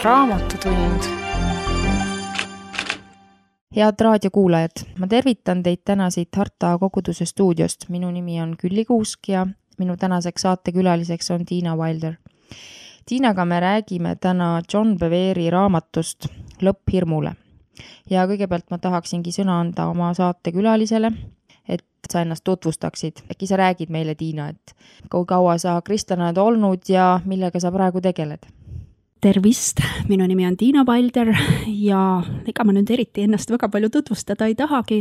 Raamatutund. Head raadiokuulajad, ma tervitan teid täna siit Harta koguduse stuudiost. Minu nimi on Külli Kuusk ja minu tänaseks saatekülaliseks on Tiina Wilder. Tiinaga me räägime täna John Bevere raamatust Lõpp hirmule. Ja kõigepealt ma tahaksingi sõna anda oma saatekülalisele, et sa ennast tutvustaksid. Äkki sa räägid meile, Tiina, et kui kaua sa kristlane oled olnud ja millega sa praegu tegeled? Tervist, minu nimi on Tiina Wilder ja ega ma nüüd eriti ennast väga palju tutvustada ei tahagi,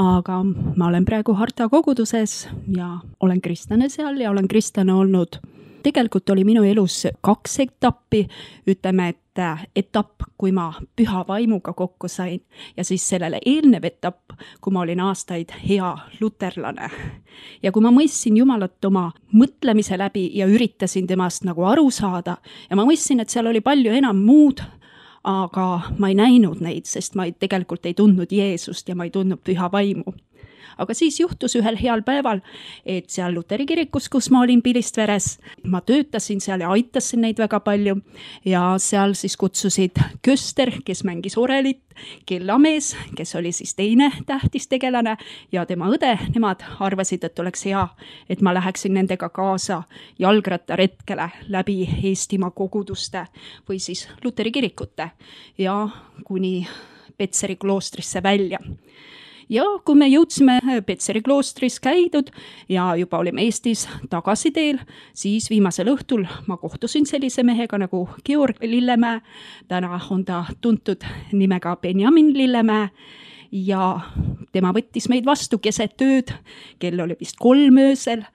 aga ma olen praegu Harta koguduses ja olen kristlane seal ja olen kristlane olnud. Tegelikult oli minu elus 2 etappi, ütleme, et etapp, kui ma püha vaimuga kokku sain ja siis sellele eelnev etapp, kui ma olin aastaid hea luterlane. Ja kui ma mõistsin Jumalat oma mõtlemise läbi ja üritasin temast nagu aru saada ja ma mõistsin, et seal oli palju enam muud, aga ma ei näinud neid, sest ma tegelikult ei tundnud Jeesust ja ma ei tundnud püha vaimu. Aga siis juhtus ühel heal päeval, et seal Luteri kirikus, kus ma olin Pilistveres, ma töötasin seal ja aitasin neid väga palju ja seal siis kutsusid Köster, kes mängis orelit, Kellamees, kes oli siis teine tähtis tegelane ja tema õde, nemad arvasid, et oleks hea, et ma läheksin nendega kaasa jalgrattaretkele läbi Eestimaa koguduste või siis Luteri kirikute ja kuni Petseri kloostrisse välja. Ja kui me jõudsime Petseri kloostris käidud ja juba olime Eestis tagasi teel, siis viimasel õhtul ma kohtusin sellise mehega nagu Georg Lillemäe. Täna on ta tuntud nimega Benjamin Lillemäe ja tema võttis meid vastu keset ööd, kell oli vist 3 öösel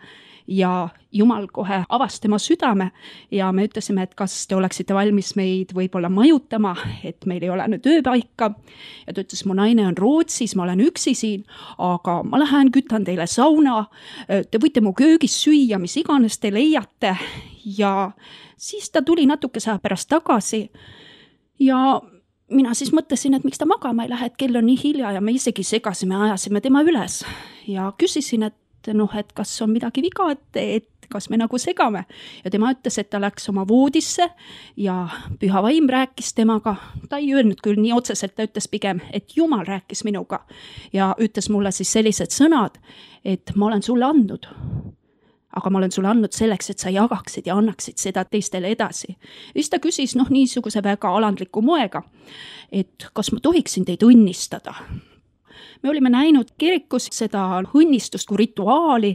ja Jumal kohe avas tema südame ja me ütlesime, et kas te oleksite valmis meid võib-olla majutama, et meil ei ole nüüd ööpaika. Ja ta ütles, mu naine on Rootsis, ma olen üksi siin, aga ma lähen kütan teile sauna, te võite mu köögis süüa, mis iganes te leiate. Ja siis ta tuli natukese aja pärast tagasi ja mina siis mõtlesin, et miks ta magama ei lähe, et kell on nii hilja ja me isegi segasime, ajasime tema üles ja küsisin, et kas on midagi viga, et kas me nagu segame. Ja tema ütles, et ta läks oma voodisse ja püha vaim rääkis temaga. Ta ei öelnud küll nii otseselt, ta ütles pigem, et Jumal rääkis minuga ja ütles mulle siis sellised sõnad, et ma olen sulle andnud. Aga ma olen sulle andnud selleks, et sa jagaksid ja annaksid seda teistele edasi. Ja siis ta küsis niisuguse väga alandliku moega, et kas ma tohiksin teid õnnistada. Me olime näinud kirikus seda õnnistust kui rituaali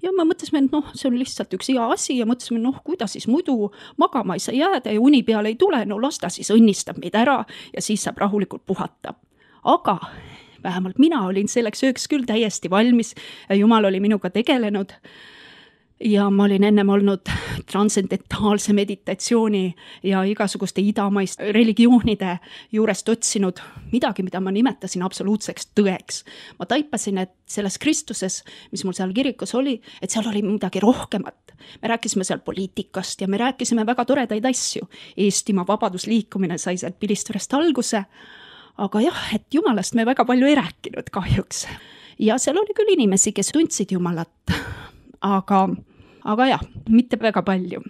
ja me mõtlesime, et see on lihtsalt üks hea asi ja mõtlesime, kuidas siis muidu magama ei saa jääda ja uni peale ei tule, las ta siis õnnistab meid ära ja siis saab rahulikult puhata. Aga vähemalt mina olin selleks ööks küll täiesti valmis ja Jumal oli minuga tegelenud. Ja ma olin ennem olnud transcendentaalse meditatsiooni ja igasuguste idamaist religioonide juurest otsinud midagi, mida ma nimetasin absoluutseks tõeks. Ma taipasin, et selles Kristuses, mis mul seal kirikus oli, et seal oli midagi rohkemat. Me rääkisime seal poliitikast ja me rääkisime väga toredaid asju. Eestimaa vabadusliikumine sai sealt Pilistverest alguse, aga jah, et Jumalast me väga palju ei rääkinud kahjuks. Ja seal oli küll inimesi, kes tundsid Jumalat, aga jah, mitte väga palju.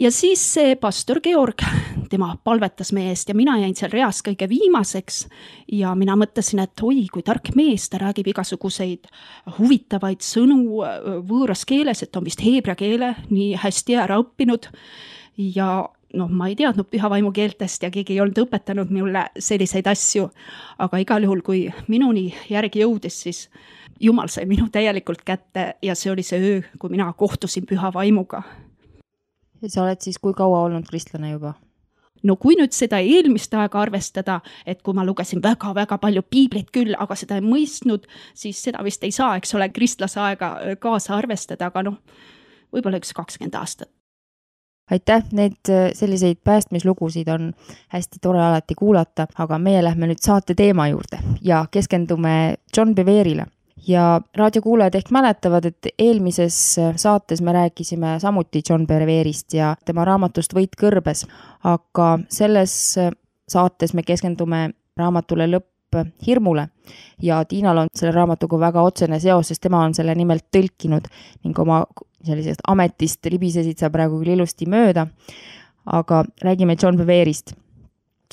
Ja siis see pastor Georg, tema palvetas meie eest ja mina jäin seal reas kõige viimaseks ja mina mõtlesin, et oi, kui tark mees, ta räägib igasuguseid huvitavaid sõnu võõras keeles, et on vist heebrea keele nii hästi ära õppinud ja ma ei teadnud püha vaimu keeltest ja keegi ei olnud õpetanud mulle selliseid asju, aga igal juhul, kui minuni järgi jõudis, siis Jumal sai minu täielikult kätte ja see oli see öö, kui mina kohtusin püha vaimuga. Ja sa oled siis kui kaua olnud kristlane juba? Kui nüüd seda eelmist aega arvestada, et kui ma lugesin väga-väga palju piiblit küll, aga seda ei mõistnud, siis seda vist ei saa, eks ole, kristlase aega kaasa arvestada, aga võib-olla üks 20 aastat. Aitäh, need selliseid päästmislugusid on hästi tore alati kuulata, aga meie lähme nüüd saate teema juurde ja keskendume John Bevere'ile. Ja raadiokuulajad ehk mäletavad, et eelmises saates me rääkisime samuti John Bevere'ist ja tema raamatust Võit kõrbes, aga selles saates me keskendume raamatule Lõpp hirmule ja Tiinal on selle raamatuga väga otsene seos, sest tema on selle nimelt tõlkinud ning oma sellisest ametist libisesid sa praegu küll ilusti mööda. aga räägime John Beverist.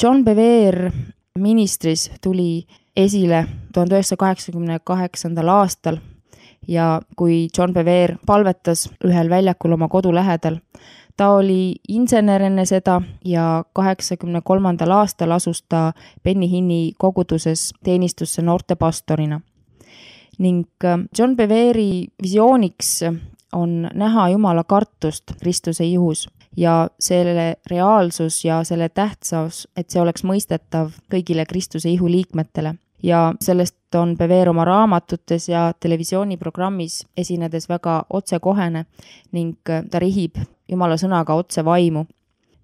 John Bever ministris tuli esile 1988. aastal ja kui John Bever palvetas ühel väljakul oma kodu lähedal, ta oli insener enne seda ja 83. aastal asus ta Benny Hinni koguduses teenistusse noorte pastorina. Ning John Beveri visiooniks on näha Jumala kartust Kristuse ihus ja selle reaalsus ja selle tähtsus, et see oleks mõistetav kõigile Kristuse ihu liikmetele. Ja sellest on Bever oma raamatutes ja televisiooniprogrammis esinedes väga otsekohene ning ta rihib Jumala sõnaga otse vaimu.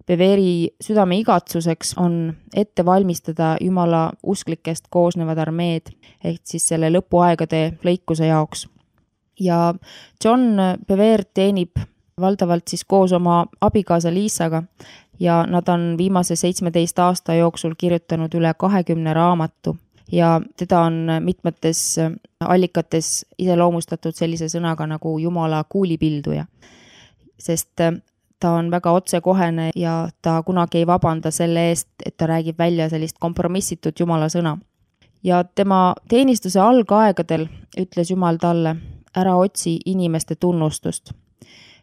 Beveri südame igatsuseks on ette valmistada Jumala usklikest koosnevad armeed ehk siis selle lõpuaegade lõikuse jaoks. Ja John Bever teenib valdavalt siis koos oma abikaasa Liisaga ja nad on viimase 17 aasta jooksul kirjutanud üle 20 raamatu ja teda on mitmetes allikates iseloomustatud sellise sõnaga nagu Jumala kuulipilduja, sest ta on väga otsekohene ja ta kunagi ei vabanda selle eest, et ta räägib välja sellist kompromissitut Jumala sõna. Ja tema teenistuse algaegadel ütles Jumal talle, ära otsi inimeste tunnustust.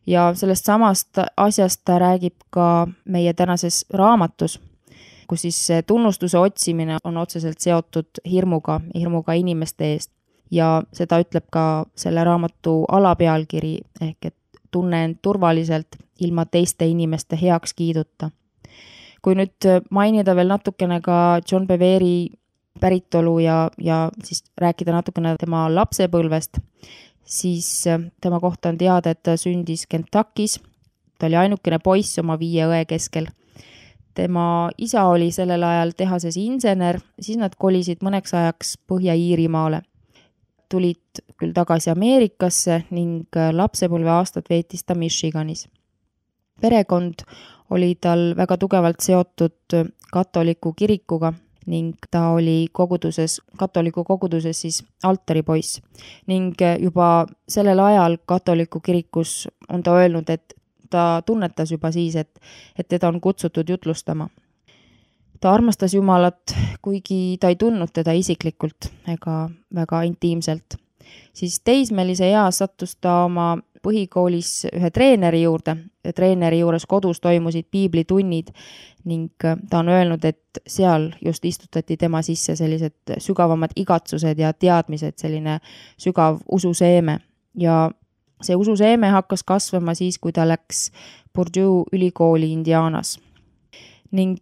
Ja sellest samast asjast ta räägib ka meie tänases raamatus, kus siis tunnustuse otsimine on otseselt seotud hirmuga inimeste eest. Ja seda ütleb ka selle raamatu alapealkiri ehk et tunne end turvaliselt ilma teiste inimeste heakskiiduta. Kui nüüd mainida veel natukene ka John Beveri päritolu ja siis rääkida natukene tema lapsepõlvest, siis tema kohta on teada, et ta sündis Kentuckis. Ta oli ainukene poiss oma 5 õe keskel. Tema isa oli sellel ajal tehases insener, siis nad kolisid mõneks ajaks Põhja-Iirimaale. Tulid küll tagasi Ameerikasse ning lapsepõlve aastad veetis ta Michiganis. Perekond oli tal väga tugevalt seotud katoliku kirikuga ning ta oli katoliku koguduses siis altaripoiss. Ning juba sellel ajal katoliku kirikus on ta öelnud, et ta tunnetas juba siis, et teda on kutsutud jutlustama. Ta armastas Jumalat, kuigi ta ei tundnud teda isiklikult ega väga intiimselt. Siis teismelise eas sattus ta oma põhikoolis ühe treeneri juurde. Treeneri juures kodus toimusid piiblitunnid ning ta on öelnud, et seal just istutati tema sisse sellised sügavamad igatsused ja teadmised, selline sügav ususeeme. Ja see ususeeme hakkas kasvama siis, kui ta läks Purdue ülikooli Indianas. Ning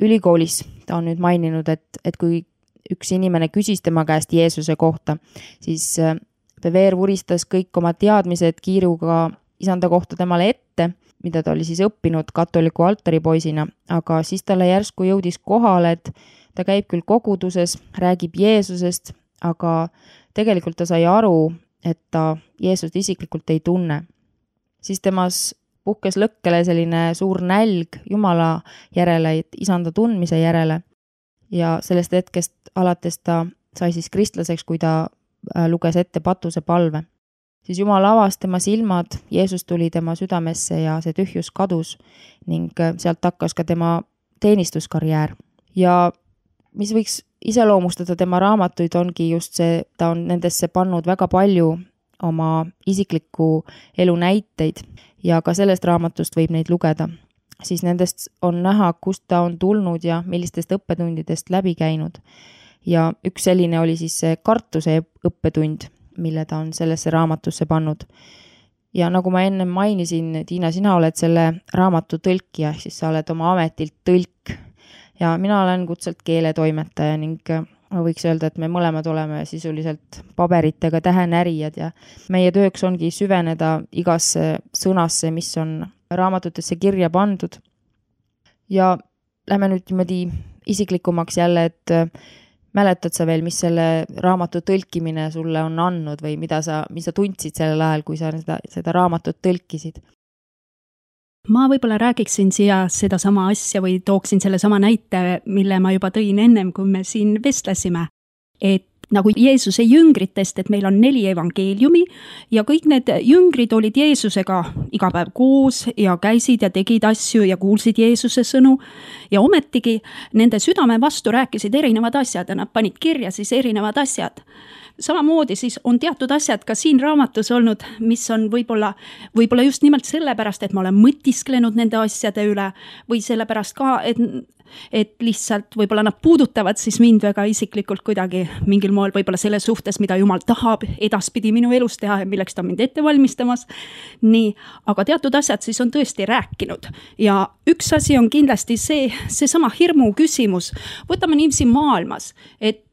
ülikoolis ta on nüüd maininud, et kui üks inimene küsis tema käest Jeesuse kohta, siis Bever vuristas kõik oma teadmised kiiruga isanda kohta temale ette, mida ta oli siis õppinud katoliku altaripoisina, aga siis talle järsku jõudis kohale, et ta käib küll koguduses, räägib Jeesusest, aga tegelikult ta sai aru, et ta Jeesust isiklikult ei tunne. Siis temas puhkes lõkkele selline suur nälg Jumala järele, isanda tundmise järele ja sellest hetkest alates ta sai siis kristlaseks, kui ta luges ette patuse palve. Siis Jumal avas tema silmad, Jeesus tuli tema südamesse ja see tühjus kadus ning sealt hakkas ka tema teenistuskarjäär. Ja mis võiks iseloomustada tema raamatuid ongi just see, ta on nendesse pannud väga palju oma isikliku elu näiteid ja ka sellest raamatust võib neid lugeda. Siis nendest on näha, kust ta on tulnud ja millistest õppetundidest läbi käinud. Ja üks selline oli siis see kartuse õppetund, mille ta on sellesse raamatusse pannud. Ja nagu ma enne mainisin, Tiina, sina oled selle raamatu tõlkija, siis sa oled oma ametilt tõlk. Ja mina olen kutselt keeletoimetaja ning ma võiks öelda, et me mõlemad oleme sisuliselt paberitega tähenärijad ja meie tööks ongi süveneda igasse sõnasse, mis on raamatutesse kirja pandud. Ja lähme nüüd niimoodi isiklikumaks jälle, et mäletad sa veel, mis selle raamatu tõlkimine sulle on andnud või mida sa tundsid sellel ajal, kui sa seda raamatut tõlkisid? Ma võib-olla räägiksin siia seda sama asja või tooksin selle sama näite, mille ma juba tõin ennem, kui me siin vestlesime. Et nagu Jeesuse jüngritest, et meil on 4 evangeeliumi ja kõik need jüngrid olid Jeesusega iga päev koos ja käisid ja tegid asju ja kuulsid Jeesuse sõnu ja ometigi nende südame vastu rääkisid erinevad asjad ja nad panid kirja siis erinevad asjad. Samamoodi siis on teatud asjad ka siin raamatus olnud, mis on võib-olla just nimelt sellepärast, et ma olen mõtisklenud nende asjade üle või sellepärast ka, et lihtsalt võib-olla nad puudutavad siis mind väga isiklikult kuidagi mingil moel võib-olla selle suhtes, mida Jumal tahab edaspidi minu elus teha ja milleks ta on mind ette valmistamas. Nii, aga teatud asjad siis on tõesti rääkinud ja üks asi on kindlasti seesama hirmu küsimus. Võtame niiviisi maailmas, et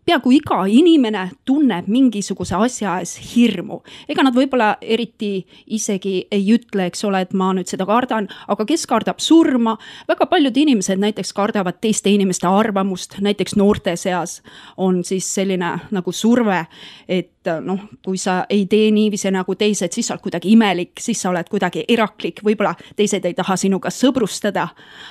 peaaegu iga inimene tunneb mingisuguse asja ees hirmu. Ega nad võib-olla eriti isegi ei ütle, eks ole, et ma nüüd seda kardan, aga kes kardab surma? Väga paljud inimesed näiteks kardavad teiste inimeste arvamust, näiteks noorte seas on siis selline nagu surve, et kui sa ei tee niiviisi nagu teised, siis sa oled kuidagi imelik, siis sa oled kuidagi eraklik, võib-olla teised ei taha sinuga sõbrustada.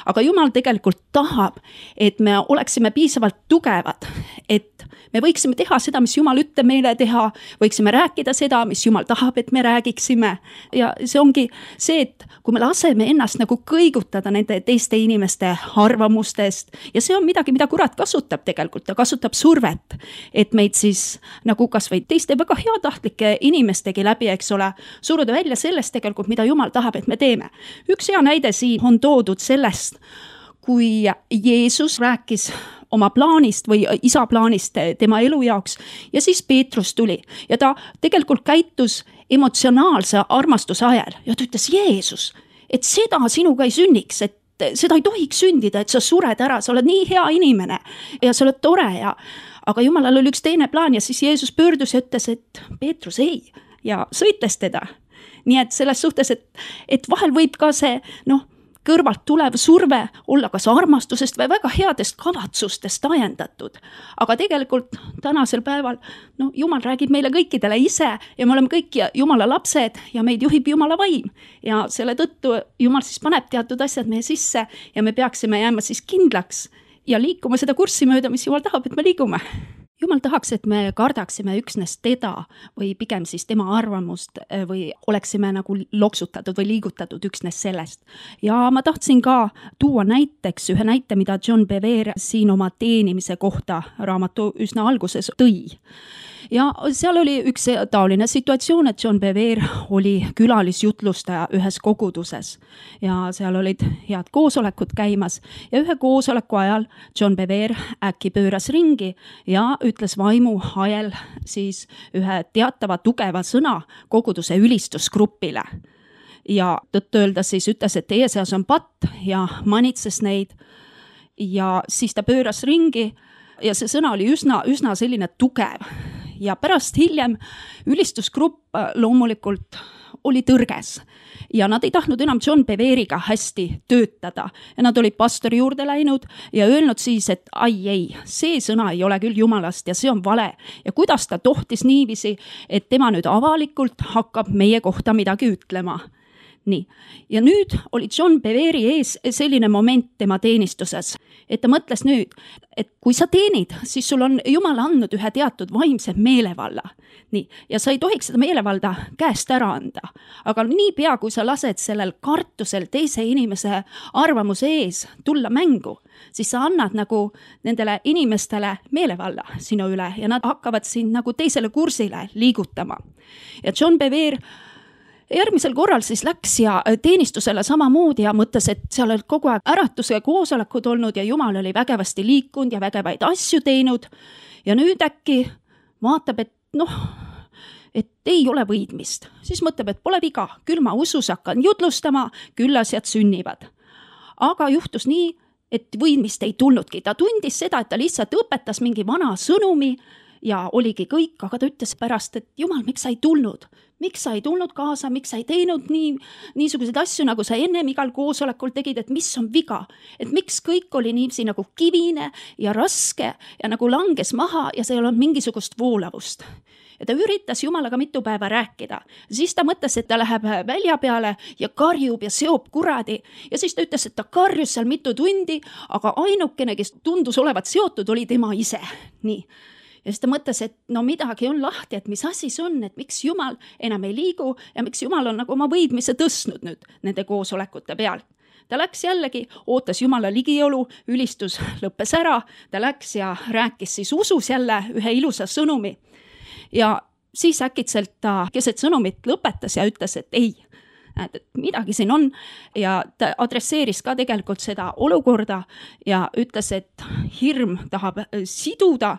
Aga Jumal tegelikult tahab, et me oleksime piisavalt tugevad, et me võiksime teha seda, mis Jumal ütleb meile teha, võiksime rääkida seda, mis Jumal tahab, et me räägiksime. Ja see ongi see, et kui me laseme ennast nagu kõigutada nende teiste inimeste arvamustest ja see on midagi, mida kurat kasutab tegelikult, ta kasutab survet, et meid siis nagu kas või teiste väga heatahtlike inimestegi läbi, eks ole, suruda välja sellest tegelikult, mida Jumal tahab, et me teeme. Üks hea näide siin on toodud sellest, kui Jeesus rääkis oma plaanist või isa plaanist tema elu jaoks ja siis Peetrus tuli ja ta tegelikult käitus emotsionaalse armastuse ajal ja ta ütles, Jeesus, et seda sinuga ei sünniks, et seda ei tohiks sündida, et sa sured ära, sa oled nii hea inimene ja sa oled tore aga Jumalal oli üks teine plaan ja siis Jeesus pöördus ja ütles, et Peetrus ei ja sõitles teda. Nii et selles suhtes, et vahel võib ka see, kõrvalt tulev surve olla kas armastusest või väga headest kavatsustest ajendatud. Aga tegelikult tänasel päeval, Jumal räägib meile kõikidele ise ja me oleme kõik Jumala lapsed ja meid juhib Jumala vaim. Ja selle tõttu Jumal siis paneb teatud asjad meie sisse ja me peaksime jääma siis kindlaks ja liikuma seda kurssi mööda, mis Jumal tahab, et me liigume. Jumal tahaks, et me kardaksime üksnes teda või pigem siis tema arvamust või oleksime nagu loksutatud või liigutatud üksnes sellest. Ja ma tahtsin ka tuua näiteks ühe näite, mida John Bevere siin oma teenimise kohta raamatu üsna alguses tõi. Ja seal oli üks taoline situatsioon, et John Bevere oli külalisjutlustaja ühes koguduses ja seal olid head koosolekud käimas ja ühe koosoleku ajal John Bevere äkki pööras ringi ja ütles vaimu ajel siis ühe teatava tugeva sõna koguduse ülistusgrupile. Ja tõtt-öelda siis ütles, et teie seas on patt ja manitses neid ja siis ta pööras ringi ja see sõna oli üsna selline tugev. Ja pärast hiljem ülistusgrupp loomulikult oli tõrges ja nad ei tahtnud enam John Bevere'iga hästi töötada ja nad olid pastori juurde läinud ja öelnud siis, et ei, see sõna ei ole küll Jumalast ja see on vale ja kuidas ta tohtis niiviisi, et tema nüüd avalikult hakkab meie kohta midagi ütlema. Nii. Ja nüüd oli John Bevere'i ees selline moment tema teenistuses, et ta mõtles nüüd, et kui sa teenid, siis sul on Jumal andnud ühe teatud vaimse meelevalla. Nii. Ja sa ei tohiks seda meelevalda käest ära anda. Aga niipea, kui sa lased sellel kartusel teise inimese arvamuse ees tulla mängu, siis sa annad nagu nendele inimestele meelevalla sinu üle ja nad hakkavad sind nagu teisele kursile liigutama. Ja John Bevere järgmisel korral siis läks ja teenistusele samamoodi ja mõtles, et seal olid kogu aeg äratuse koosolekud olnud ja Jumal oli vägevasti liikunud ja vägevaid asju teinud. Ja nüüd äkki vaatab, et ei ole võidmist. Siis mõtleb, et pole viga, küll ma usus hakkan jutlustama, küll asjad sünnivad. Aga juhtus nii, et võidmist ei tulnudki. Ta tundis seda, et ta lihtsalt õpetas mingi vana sõnumi ja oligi kõik, aga ta ütles pärast, et Jumal, miks sa ei tulnud? Miks sa ei tulnud kaasa, miks sa ei teinud niisuguseid asju, nagu sa ennem igal koosolekul tegid, et mis on viga? Et miks kõik oli niivisi nagu kivine ja raske ja nagu langes maha ja see ei olnud mingisugust voolavust. Ja ta üritas Jumalaga mitu päeva rääkida. Siis ta mõtles, et ta läheb välja peale ja karjub ja seob kuradi. Ja siis ta ütles, et ta karjus seal mitu tundi, aga ainukene, kes tundus olevat seotud, oli tema ise. Nii. Ja siis ta mõtles, et no midagi on lahti, et mis asi see on, et miks Jumal enam ei liigu ja miks Jumal on nagu oma võidmise tõstnud nüüd nende koosolekute peal. Ta läks jällegi, ootas Jumala ligiolu, ülistus lõppes ära, ta läks ja rääkis siis usus jälle ühe ilusa sõnumi. Ja siis äkitselt ta keset sõnumit lõpetas ja ütles, et ei, et midagi siin on ja ta adresseeris ka tegelikult seda olukorda ja ütles, et hirm tahab siduda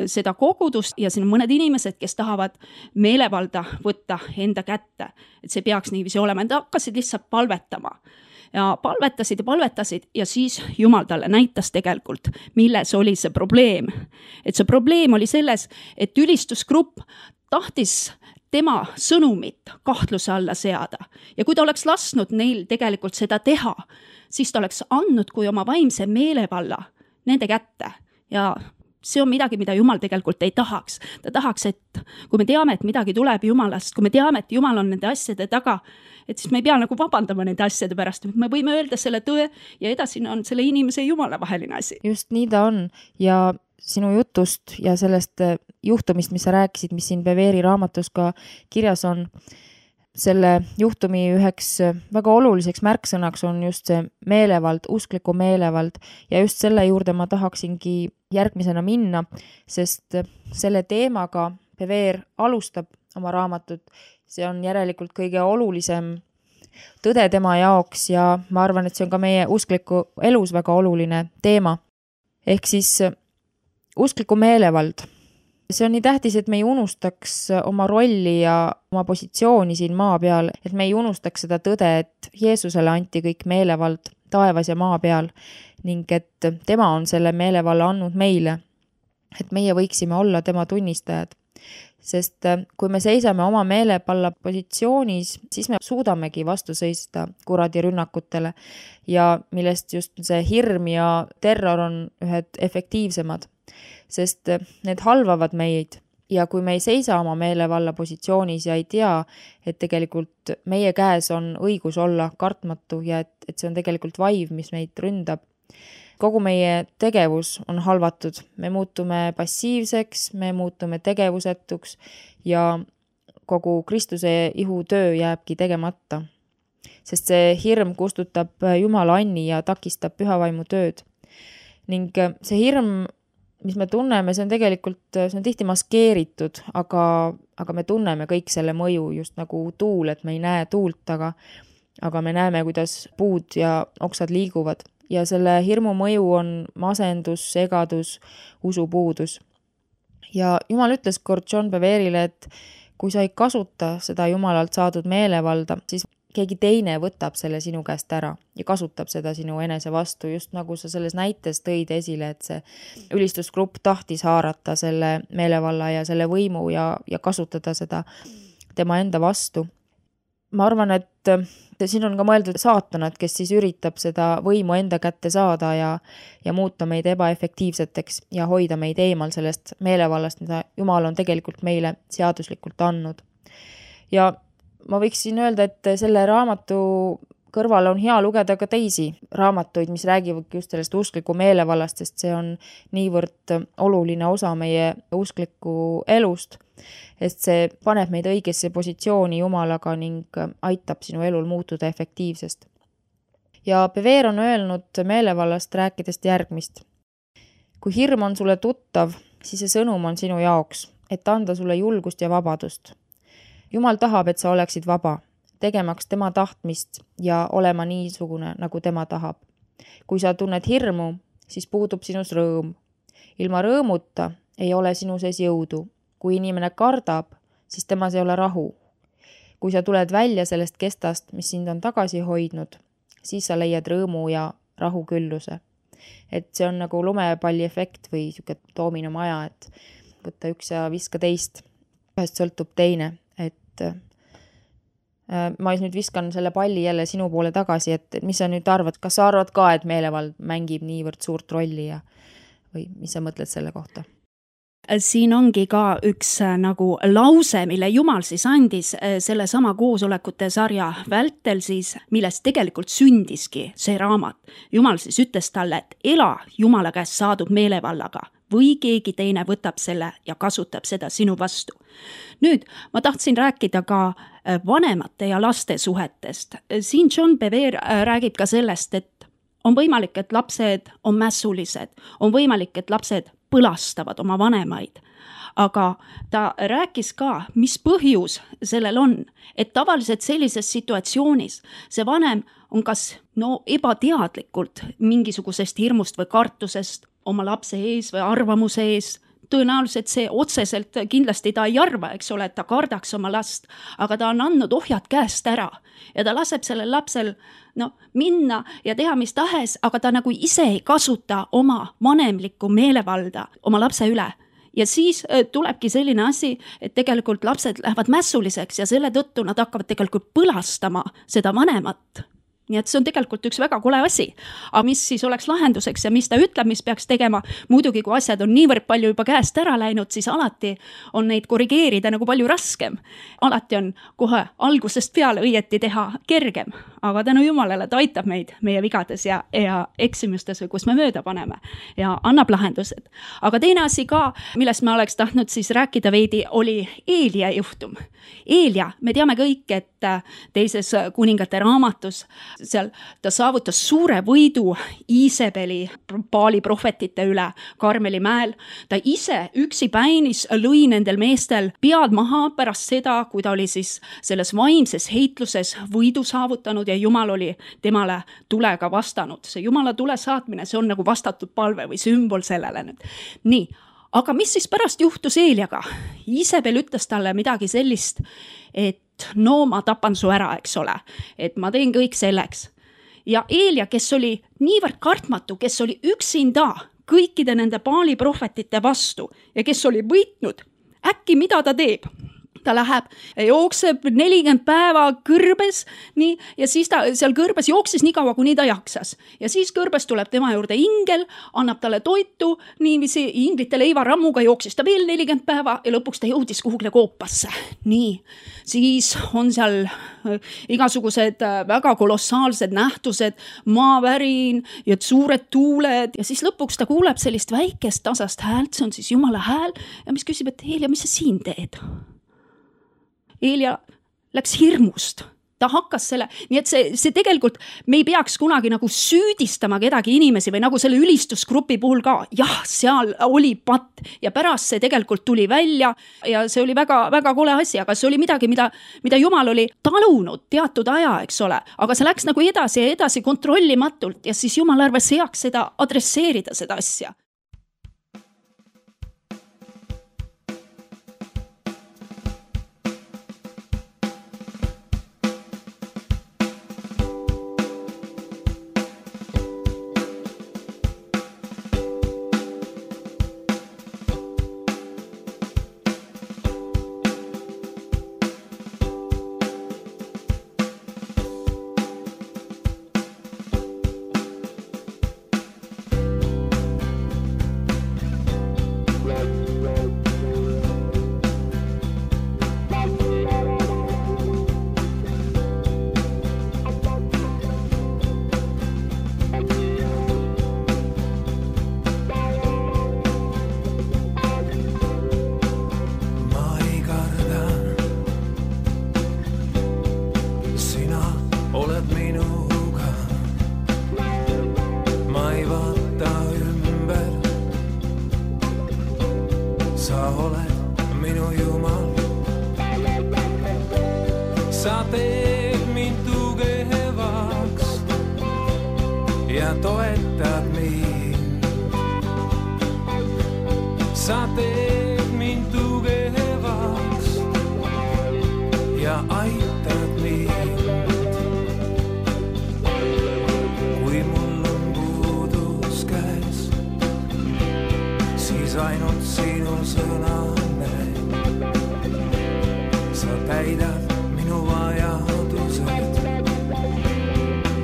seda kogudust ja siin on mõned inimesed, kes tahavad meelevalda võtta enda kätte, et see peaks niiviisi olema. Nad hakkasid lihtsalt palvetama ja palvetasid ja siis Jumal talle näitas tegelikult, milles oli see probleem. Et see probleem oli selles, et ülistusgrupp tahtis tema sõnumit kahtluse alla seada ja kui ta oleks lasknud neil tegelikult seda teha, siis ta oleks andnud kui oma vaimse meelevalla nende kätte ja see on midagi, mida Jumal tegelikult ei tahaks. Ta tahaks, et kui me teame, et midagi tuleb Jumalast, kui me teame, et Jumal on nende asjade taga, et siis me ei pea nagu vabandama nende asjade pärast, me võime öelda selle tõe ja edasi on selle inimese ja Jumala vaheline asi. Just nii ta on ja sinu jutust ja sellest juhtumist, mis sa rääkisid, mis siin Beveri raamatus ka kirjas on, selle juhtumi üheks väga oluliseks märksõnaks on just see meelevald, uskliku meelevald ja just selle juurde ma tahaksingi järgmisena minna, sest selle teemaga Bever alustab oma raamatut. See on järelikult kõige olulisem tõde tema jaoks ja ma arvan, et see on ka meie uskliku elus väga oluline teema. Ehk siis uskliku meelevald. See on nii tähtis, et me ei unustaks oma rolli ja oma positsiooni siin maa peal, et me ei unustaks seda tõde, et Jeesusele anti kõik meelevald taevas ja maa peal ning et tema on selle meelevalla andnud meile, et meie võiksime olla tema tunnistajad. Sest kui me seisame oma meelepalla positsioonis, siis me suudamegi vastu seista kuradi rünnakutele ja millest just see hirm ja terror on ühed efektiivsemad. Sest need halvavad meid ja kui me ei seisa oma meelevalla positsioonis ja ei tea, et tegelikult meie käes on õigus olla kartmatu ja et see on tegelikult vaiv, mis meid ründab. Kogu meie tegevus on halvatud, me muutume passiivseks, me muutume tegevusetuks ja kogu Kristuse ihutöö jääbki tegemata. Sest see hirm kustutab Jumala anni ja takistab pühavaimu tööd. Ning see hirm, mis me tunneme, see on tegelikult, see on tihti maskeeritud, aga me tunneme kõik selle mõju just nagu tuul, et me ei näe tuult, aga me näeme, kuidas puud ja oksad liiguvad. Ja selle hirmu mõju on masendus, segadus, usupuudus. Ja Jumal ütles kord John Beverile, et kui sa ei kasuta seda Jumalalt saadud meelevalda, siis keegi teine võtab selle sinu käest ära ja kasutab seda sinu enese vastu, just nagu sa selles näites tõid esile, et see ülistusgrupp tahtis haarata selle meelevalla ja selle võimu ja kasutada seda tema enda vastu. Ma arvan, et siin on ka mõeldud saatanat, kes siis üritab seda võimu enda kätte saada ja muuta meid ebaefektiivseteks ja hoida meid eemal sellest meelevallast, mida Jumal on tegelikult meile seaduslikult andnud. Ja ma võiksin öelda, et selle raamatu kõrval on hea lugeda ka teisi raamatuid, mis räägivad just sellest uskliku meelevallast, sest see on niivõrd oluline osa meie uskliku elust, et see paneb meid õigesse positsiooni Jumalaga ning aitab sinu elul muutuda efektiivsest. Ja Bever on öelnud meelevallast rääkidest järgmist. Kui hirm on sulle tuttav, siis see sõnum on sinu jaoks, et anda sulle julgust ja vabadust. Jumal tahab, et sa oleksid vaba, tegemaks tema tahtmist ja olema niisugune, nagu tema tahab. Kui sa tunned hirmu, siis puudub sinus rõõm. Ilma rõõmuta ei ole sinu sees jõudu. Kui inimene kardab, siis temas ei ole rahu. Kui sa tuled välja sellest kestast, mis sind on tagasi hoidnud, siis sa leiad rõõmu ja rahu külluse. Et see on nagu lumepalli efekt või siuke doominomaja, et võtta üks ja viska teist. Ühest sõltub teine, et ma nüüd viskan selle palli jälle sinu poole tagasi, et mis sa nüüd arvad, kas sa arvad ka, et meelevald mängib niivõrd suurt rolli või mis sa mõtled selle kohta? Siin ongi ka üks nagu lause, mille Jumal siis andis selle sama koosolekute sarja vältel siis, millest tegelikult sündiski see raamat. Jumal siis ütles talle, et ela Jumala käest saadud meelevallaga, või keegi teine võtab selle ja kasutab seda sinu vastu. Nüüd ma tahtsin rääkida ka vanemate ja laste suhetest. Siin John Bevere räägib ka sellest, et on võimalik, et lapsed on mässulised, on võimalik, et lapsed põlastavad oma vanemaid. Aga ta rääkis ka, mis põhjus sellel on, et tavaliselt sellises situatsioonis see vanem on kas ebateadlikult mingisugusest hirmust või kartusest oma lapse ees või arvamuse ees. Tõenäoliselt see otseselt kindlasti ta ei arva, eks ole, et ta kardaks oma last, aga ta on andnud ohjad käest ära ja ta laseb sellel lapsel minna ja teha mis tahes, aga ta nagu ise ei kasuta oma vanemlikku meelevalda oma lapse üle. Ja siis tulebki selline asi, et tegelikult lapsed lähevad mässuliseks ja selle tõttu nad hakkavad tegelikult põlastama seda vanemat. Nii et see on tegelikult üks väga kole asi. Aga mis siis oleks lahenduseks ja mis ta ütleb, mis peaks tegema? Muidugi, kui asjad on niivõrd palju juba käest ära läinud, siis alati on neid korrigeerida nagu palju raskem. Alati on kohe algusest peale õieti teha kergem. Aga tänu Jumalale ta aitab meid meie vigades ja eksimustes, kus me mööda paneme ja annab lahendused. Aga teine asi ka, millest ma oleks tahtnud siis rääkida veidi, oli Eelia juhtum. Eelia, me teame kõik, et teises kuningate raamatus seal ta saavutas suure võidu Iisebeli Baali prohvetite üle Karmeli mäel. Ta ise üksi päinis lõi nendel meestel pead maha pärast seda, kui ta oli siis selles vaimses heitluses võidu saavutanud ja Jumal oli temale tulega vastanud. See Jumala tule saatmine, see on nagu vastatud palve või sümbol sellele nüüd. Nii, aga mis siis pärast juhtus Eeliaga? Iisebel ütles talle midagi sellist, et ma tapan su ära, eks ole, et ma teen kõik selleks. Ja Eelia, kes oli niivõrd kartmatu, kes oli üksinda kõikide nende Baali prohvetite vastu ja kes oli võitnud, äkki mida ta teeb? Ta läheb, jookseb 40 päeva kõrbes, nii, ja siis ta seal kõrbes jooksis nii kaua, kuni ta jaksas. Ja siis kõrbes tuleb tema juurde ingel, annab talle toitu, niiviisi inglite leivarammuga jooksis ta veel 40 päeva ja lõpuks ta jõudis kuhugle koopasse. Nii, siis on seal igasugused väga kolossaalsed nähtused, maavärin ja suured tuuled ja siis lõpuks ta kuuleb sellist väikest tasast häält, see on siis Jumala hääl ja mis küsib, et Eelia, mis sa siin teed? Eelia läks hirmust. Ta hakkas selle, nii et see tegelikult, me ei peaks kunagi nagu süüdistama kedagi inimesi või nagu selle ülistusgrupi puhul ka. Jah, seal oli patt ja pärast see tegelikult tuli välja ja see oli väga, väga kole asi, aga see oli midagi, mida Jumal oli talunud teatud aja, eks ole. Aga see läks nagu edasi ja edasi kontrollimatult ja siis Jumal arvas heaks seda adresseerida seda asja. Sa teed mind tugevaks ja toetad mind. Sa teed mind tugevaks ja aitad mind. Kui mul on puudus käes, siis ainult sinu sõna näeb. Sa täidad minu vajadused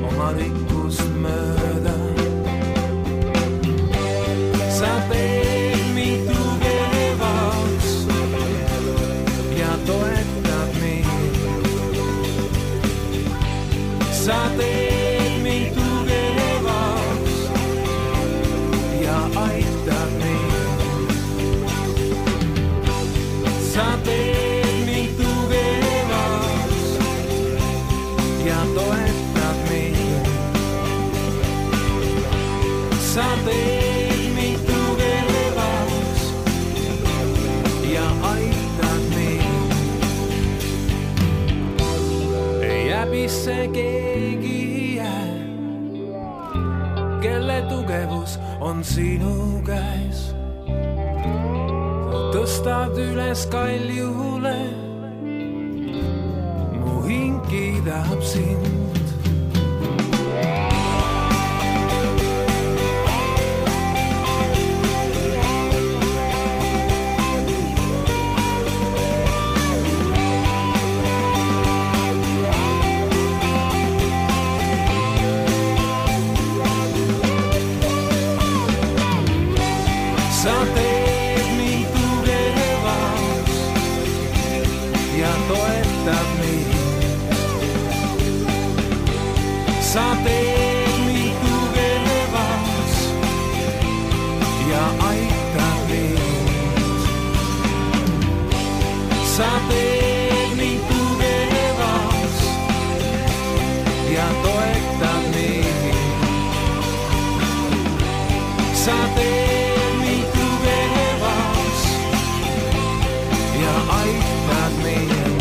oma rikkust mööda. Sa teed mind tugevaks ja toetad mind. Sa teed mind tugevaks ja aitad mind. on sinu käes. Tõstad üles kaljule, mu hing kiidab sind. Sa teed mind tugevaks ja toetad mind. Sa teed mind tugevaks ja aitad mind. Sa teed mind tugevaks ja toetad mind. Sa teed aitad mind.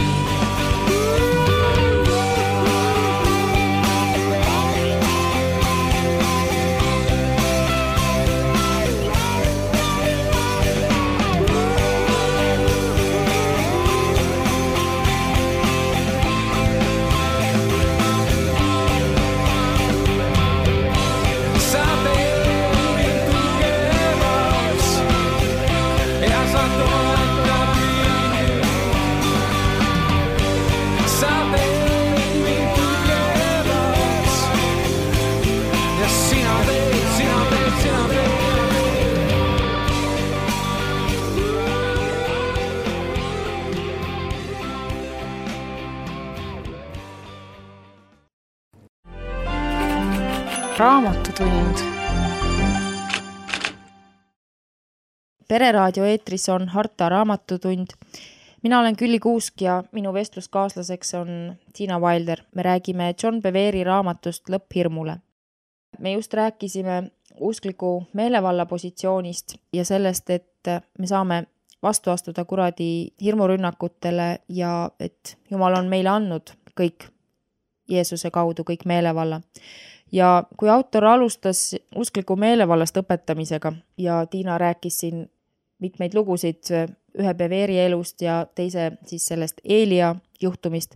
Sa teed mind tugevaks ja sa toetad mind. Sa teed mind tugevaks ja sina teed, sina teed, sina teed. Raamatutund. pereraadio eetris on Harta Raamatutund. Mina olen Külli Kuusk ja minu vestluskaaslaseks on Tiina Wilder. Me räägime John Bevere raamatust Lõpphirmule. Me just rääkisime uskliku meelevalla positsioonist ja sellest, et me saame vastu astuda kuradi hirmurünnakutele ja et Jumal on meile andnud kõik Jeesuse kaudu, kõik meelevalla. Ja kui autor alustas uskliku meelevallast õpetamisega ja Tiina rääkis siin mitmeid lugusid ühe Beveri elust ja teise siis sellest Eelia juhtumist,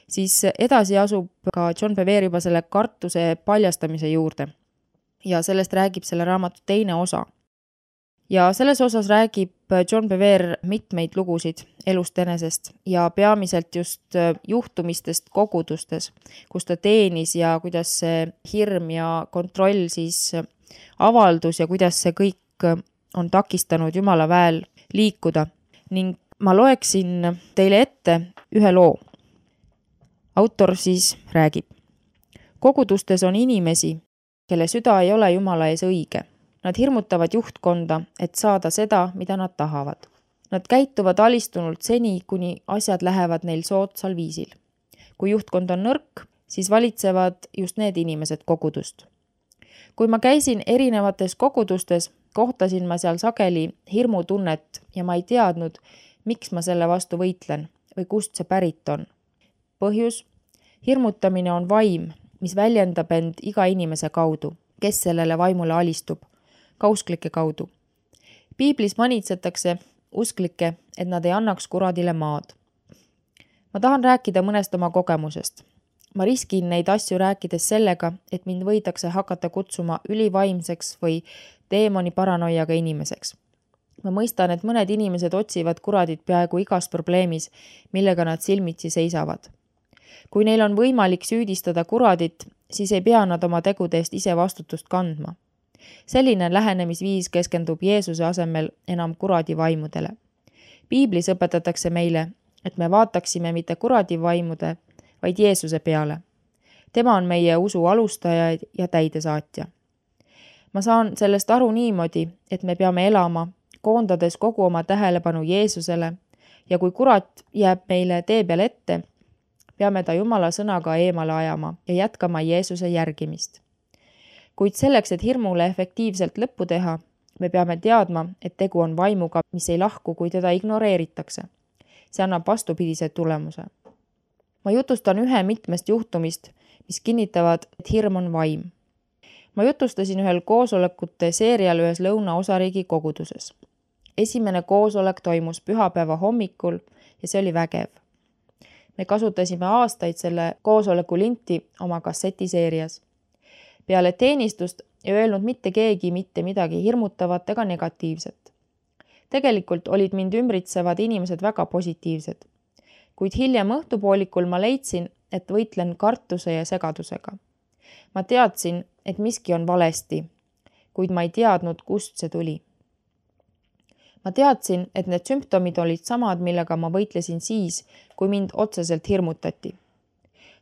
siis edasi asub ka John Bevere juba selle kartuse paljastamise juurde. Ja sellest räägib selle raamatu teine osa. Ja selles osas räägib John Bevere mitmeid lugusid elust enesest ja peamiselt just juhtumistest kogudustes, kus ta teenis ja kuidas see hirm ja kontroll siis avaldus ja kuidas see kõik on takistanud Jumala väel liikuda. Ning ma loeksin teile ette ühe loo. Autor siis räägib. Kogudustes on inimesi, kelle süda ei ole Jumala ees õige. Nad hirmutavad juhtkonda, et saada seda, mida nad tahavad. Nad käituvad alistunult seni, kuni asjad lähevad neil soodsal viisil. Kui juhtkond on nõrk, siis valitsevad just need inimesed kogudust. Kui ma käisin erinevates kogudustes, kohtasin ma seal sageli hirmutunnet ja ma ei teadnud, miks ma selle vastu võitlen või kust see pärit on. Põhjus, hirmutamine on vaim, mis väljendab end iga inimese kaudu, kes sellele vaimule alistub, ka usklike kaudu. Piiblis manitsetakse usklikke, et nad ei annaks kuradile maad. Ma tahan rääkida mõnest oma kogemusest. Ma riskin neid asju rääkides sellega, et mind võidakse hakata kutsuma ülivaimseks või teemoni paranoiaga inimeseks. Ma mõistan, et mõned inimesed otsivad kuradit peaaegu igas probleemis, millega nad silmitsi seisavad. Kui neil on võimalik süüdistada kuradit, siis ei pea nad oma tegude eest ise vastutust kandma. Selline lähenemisviis keskendub Jeesuse asemel enam kuradi vaimudele. Piiblis õpetatakse meile, et me vaataksime mitte kuradi vaimude, vaid Jeesuse peale. Tema on meie usu alustaja ja täidesaatja. Ma saan sellest aru niimoodi, et me peame elama, koondades kogu oma tähelepanu Jeesusele ja kui kurat jääb meile tee peal ette, peame ta Jumala sõnaga eemale ajama ja jätkama Jeesuse järgimist. Kuid selleks, et hirmule efektiivselt lõppu teha, me peame teadma, et tegu on vaimuga, mis ei lahku, kui teda ignoreeritakse. See annab vastupidise tulemuse. Ma jutustan ühe mitmest juhtumist, mis kinnitavad, et hirm on vaim. ma jutustasin ühel koosolekute seerial ühes Lõuna-osariigi koguduses. Esimene koosolek toimus pühapäeva hommikul ja see oli vägev. Me kasutasime aastaid selle koosoleku linti oma kassetiseerias. Peale teenistust ei öelnud mitte keegi mitte midagi hirmutavat ega negatiivset. Tegelikult olid mind ümbritsevad inimesed väga positiivsed. Kuid hiljem õhtupoolikul ma leidsin, et võitlen kartuse ja segadusega. Ma teadsin, et miski on valesti, kuid ma ei teadnud, kust see tuli. Ma teadsin, et need sümptomid olid samad, millega ma võitlesin siis, kui mind otseselt hirmutati.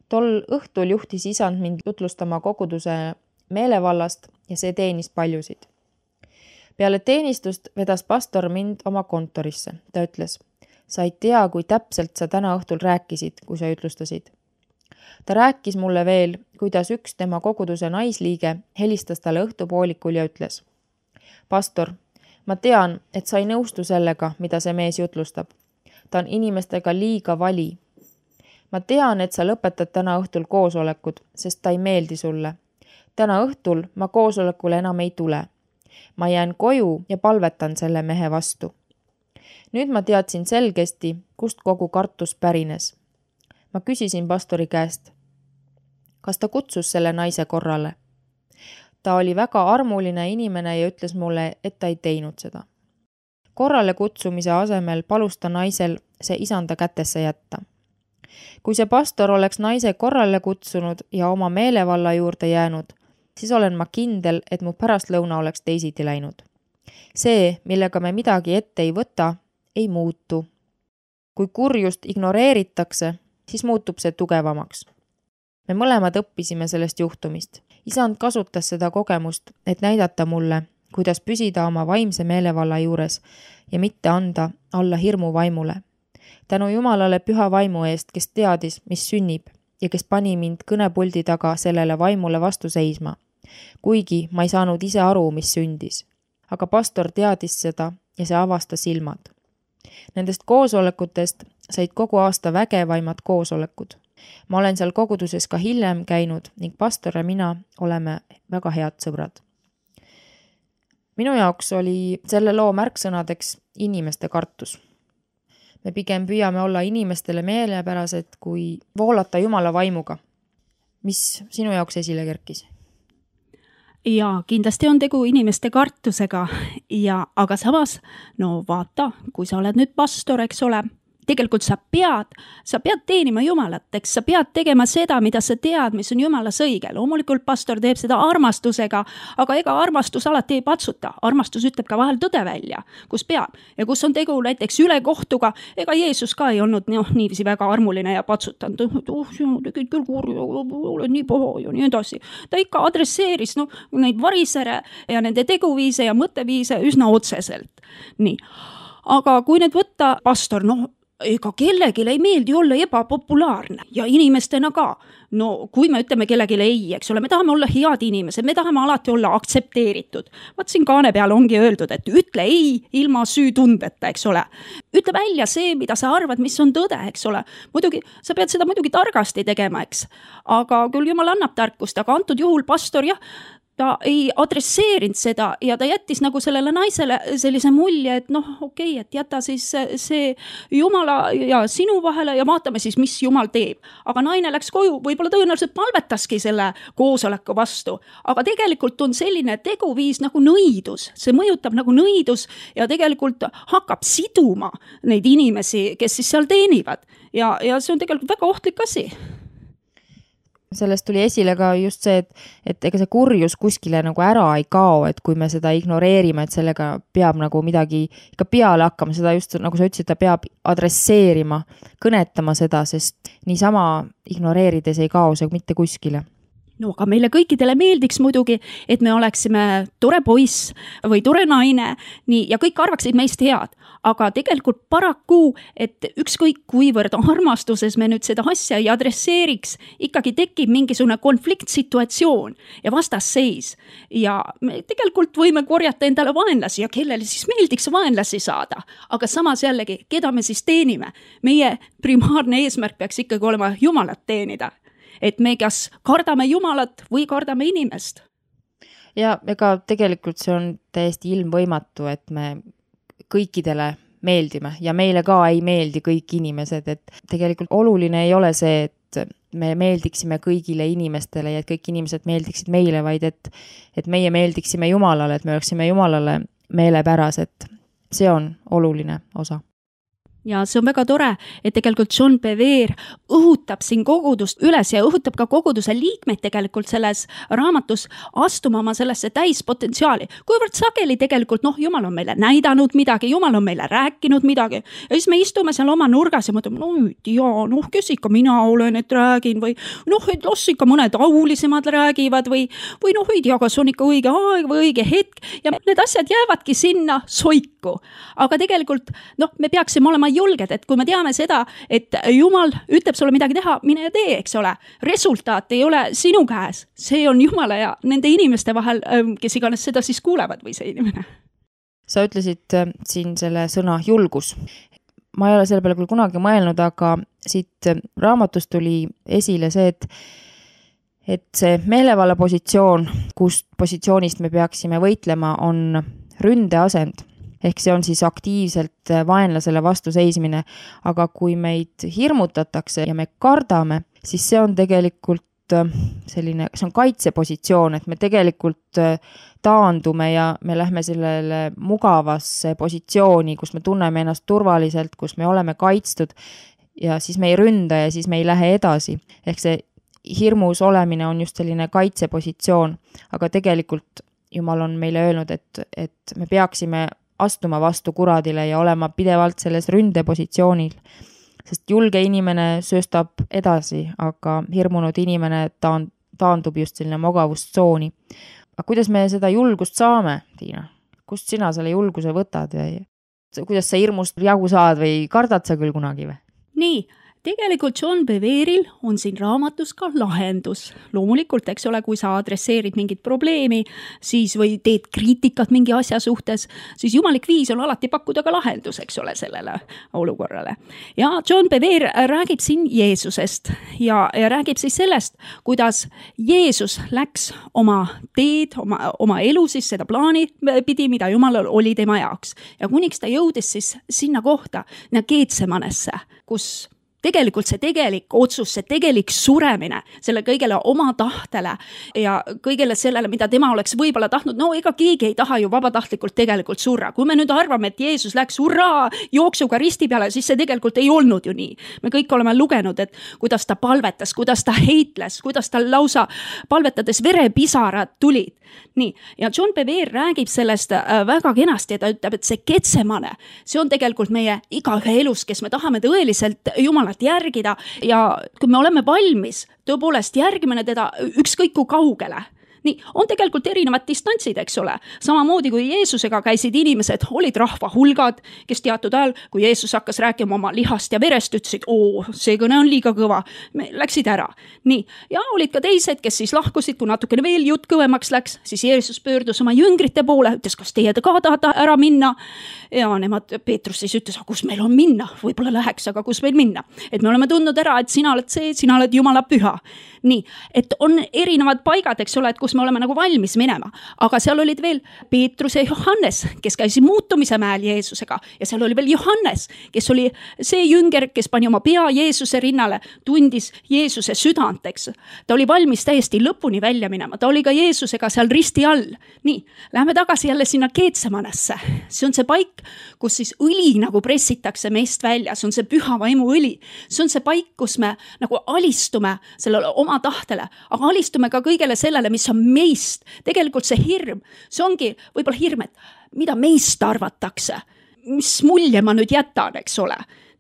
Tol õhtul juhtis isand mind jutlustama koguduse meelevallast ja see teenis paljusid. Peale teenistust vedas pastor mind oma kontorisse. Ta ütles, sa ei tea, kui täpselt sa täna õhtul rääkisid, kui sa ütlustasid. Ta rääkis mulle veel, kuidas üks tema koguduse naisliige helistas talle õhtupoolikul ja ütles. Pastor, ma tean, et sa ei nõustu sellega, mida see mees jutlustab. Ta on inimestega liiga vali. Ma tean, et sa lõpetad täna õhtul koosolekud, sest ta ei meeldi sulle. Täna õhtul ma koosolekule enam ei tule. Ma jään koju ja palvetan selle mehe vastu. Nüüd ma teadsin selgesti, kust kogu kartus pärines. Ma küsisin pastori käest, kas ta kutsus selle naise korrale. Ta oli väga armuline inimene ja ütles mulle, et ta ei teinud seda. Korrale kutsumise asemel palus ta naisel see isanda kätesse jätta. Kui see pastor oleks naise korrale kutsunud ja oma meelevalla juurde jäänud, siis olen ma kindel, et mu pärastlõuna oleks teisiti läinud. See, millega me midagi ette ei võta, ei muutu. Kui kurjust ignoreeritakse, siis muutub see tugevamaks. Me mõlemad õppisime sellest juhtumist. Isand kasutas seda kogemust, et näidata mulle, kuidas püsida oma vaimse meelevalla juures ja mitte anda alla hirmu vaimule. Tänu Jumalale püha vaimu eest, kes teadis, mis sünnib ja kes pani mind kõnepuldi taga sellele vaimule vastu seisma. Kuigi ma ei saanud ise aru, mis sündis. Aga pastor teadis seda ja see avastas silmad. Nendest koosolekutest said kogu aasta vägevaimad koosolekud. Ma olen seal koguduses ka hiljem käinud ning pastor ja mina oleme väga head sõbrad. Minu jaoks oli selle loo märksõnadeks inimeste kartus. Me pigem püüame olla inimestele meelepärased, kui voolata Jumala vaimuga. Mis sinu jaoks esile kerkis? Ja kindlasti on tegu inimeste kartusega, aga samas, no vaata, kui sa oled nüüd pastor, eks ole, tegelikult sa pead teenima Jumalat, eks sa pead tegema seda, mida sa tead, mis on Jumalas õige. Loomulikult pastor teeb seda armastusega, aga ega armastus alati ei patsuta. Armastus ütleb ka vahel tõde välja, kus peab. Ja kus on tegu näiteks ülekohtuga, ega Jeesus ka ei olnud niiviisi väga armuline ja patsutanud. Sina tegid küll kurju, oled nii paha ja nii edasi. Ta ikka adresseeris neid varisere ja nende teguviise ja mõtteviise üsna otseselt. Nii. Aga kui nüüd võtta pastor, ega kellelgi ei meeldi olla ebapopulaarne ja inimestena ka. No kui me ütleme kellelegi ei, eks ole, me tahame olla head inimesed, me tahame alati olla aktsepteeritud. Vaat siin kaane peal ongi öeldud, et ütle ei ilma süütundeta, eks ole. Ütle välja see, mida sa arvad, mis on tõde, eks ole. Muidugi, sa pead seda muidugi targasti tegema, eks. Aga küll Jumal annab tarkust, aga antud juhul pastor ta ei adresseerinud seda ja ta jättis nagu sellele naisele sellise mulje, et okei, et jäta siis see Jumala ja sinu vahele ja vaatame siis, mis Jumal teeb. Aga naine läks koju, võib-olla tõenäoliselt palvetaski selle koosoleku vastu. Aga tegelikult on selline teguviis nagu nõidus. See mõjutab nagu nõidus ja tegelikult hakkab siduma neid inimesi, kes siis seal teenivad. Ja see on tegelikult väga ohtlik asi. Sellest tuli esile ka just see, et ega see kurjus kuskile nagu ära ei kao, et kui me seda ignoreerime, et sellega peab nagu midagi ikka peale hakkama, seda just nagu sa ütlesid, ta peab adresseerima, kõnetama seda, sest niisama ignoreerides ei kao see mitte kuskile. No aga meile kõikidele meeldiks muidugi, et me oleksime tore poiss või tore naine ja kõik arvaksid meist head. Aga tegelikult paraku, et ükskõik kuivõrd armastuses me nüüd seda asja ei adresseeriks, ikkagi tekib mingisugune konfliktsituatsioon ja vastasseis. Ja me tegelikult võime korjata endale vaenlasi ja kellele siis meeldiks vaenlasi saada. Aga samas jällegi, keda me siis teenime? Meie primaarne eesmärk peaks ikkagi olema Jumalat teenida. Et me kas kardame Jumalat või kardame inimest. ja ega tegelikult see on täiesti ilmvõimatu, et me kõikidele meeldime ja meile ka ei meeldi kõik inimesed, et tegelikult oluline ei ole see, et me meeldiksime kõigile inimestele ja et kõik inimesed meeldiksid meile, vaid et meie meeldiksime Jumalale, et me oleksime Jumalale meelepärased. See on oluline osa. Ja see on väga tore, et tegelikult John Bevere õhutab siin kogudust üles ja õhutab ka koguduse liikmeid tegelikult selles raamatus astuma oma sellesse täispotentsiaali. Kuivõrd sageli tegelikult, Jumal on meile näidanud midagi, Jumal on meile rääkinud midagi ja siis me istume seal oma nurgas ja mõtleme, kes ikka mina olen, et räägin või et las ikka mõned aulisemad räägivad või ei tea, kas on ikka õige aeg või õige hetk ja need asjad jäävadki sinna soiku. Aga tegelikult, me peaksime olema julged, et kui me teame seda, et Jumal ütleb sulle midagi teha, mine ja tee, eks ole. Resultaat ei ole sinu käes. See on Jumala ja nende inimeste vahel, kes iganes seda siis kuulevad või see inimene. Sa ütlesid siin selle sõna julgus. Ma ei ole selle peale küll kunagi mõelnud, aga siit raamatust tuli esile see, et see meelevalla positsioon, kust positsioonist me peaksime võitlema, on ründeasend. Ehk see on siis aktiivselt vaenlasele vastu seismine, aga kui meid hirmutatakse ja me kardame, siis see on tegelikult selline, see on kaitsepositsioon, et me tegelikult taandume ja me lähme sellele mugavasse positsiooni, kus me tunneme ennast turvaliselt, kus me oleme kaitstud ja siis me ei ründa ja siis me ei lähe edasi. Ehk see hirmus olemine on just selline kaitsepositsioon, aga tegelikult Jumal on meile öelnud, et me peaksime astuma vastu kuradile ja olema pidevalt selles ründepositsioonil. Sest julge inimene sööstab edasi, aga hirmunud inimene taandub just selline mugavustsooni. Aga kuidas me seda julgust saame, Tiina? Kust sina selle julguse võtad? Kuidas sa hirmust jagu saad või kardad sa küll kunagi või? Nii, tegelikult John Beveril on siin raamatus ka lahendus. Loomulikult, eks ole, kui sa adresseerid mingit probleemi, siis või teed kriitikat mingi asja suhtes, siis jumalik viis on alati pakkuda ka lahendus, eks ole, sellele olukorrale. Ja John Bevere räägib siin Jeesusest ja räägib siis sellest, kuidas Jeesus läks oma teed, oma elu siis seda plaani pidi, mida Jumalal oli tema jaoks. Ja kuniks ta jõudis siis sinna kohta, Getsemanesse, kus tegelikult see tegelik otsus, see tegelik suremine selle kõigele oma tahtele ja kõigele sellele, mida tema oleks võib-olla tahtnud, ega keegi ei taha ju vabatahtlikult tegelikult surra. Kui me nüüd arvame, et Jeesus läks hurraa jooksuga risti peale, siis see tegelikult ei olnud ju nii. Me kõik oleme lugenud, et kuidas ta palvetas, kuidas ta heitles, kuidas ta lausa palvetades verepisarad tulid. Nii, ja John Bevere räägib sellest väga kenasti ja ta ütleb, et see Getsemane, see on tegelikult meie igaühe elus, kes me tahame tõeliselt Jumalat järgida ja kui me oleme valmis tõepoolest järgime teda ükskõik kui kaugele. Nii, on tegelikult erinevad distantsid, eks ole. Samamoodi kui Jeesusega käisid inimesed, olid rahva hulgad, kes teatud ajal, kui Jeesus hakkas rääkima oma lihast ja verest, ütlesid, see kõne on liiga kõva, läksid ära. Nii, ja olid ka teised, kes siis lahkusid, kui natukene veel jutt kõvemaks läks, siis Jeesus pöördus oma jüngrite poole, ütles, kas teie ka tahate ära minna? Ja nemad, Peetrus siis ütles, kus meil on minna? Võib-olla läheks, aga kus meil minna? Et me oleme tundnud ära, et sina oled see, sina oled Jumala püha. Nii, et on erinevad paigad, eks ole, et kus me oleme nagu valmis minema. Aga seal olid veel Peetrus ja Johannes, kes käisid muutumise mäel Jeesusega. Ja seal oli veel Johannes, kes oli see jünger, kes pani oma pea Jeesuse rinnale, tundis Jeesuse südant, eks. Ta oli valmis täiesti lõpuni välja minema. Ta oli ka Jeesusega seal risti all. Nii, lähme tagasi jälle sinna Getsemanesse. See on see paik, kus siis õli nagu pressitakse meist välja. See on see püha vaimu õli. See on see paik, kus me nagu alistume sellele oma tahtele, aga alistume ka kõigele sellele, mis on meist. Tegelikult see hirm, see ongi võib-olla hirm, et mida meist arvatakse, mis mulje ma nüüd jätan, eks ole.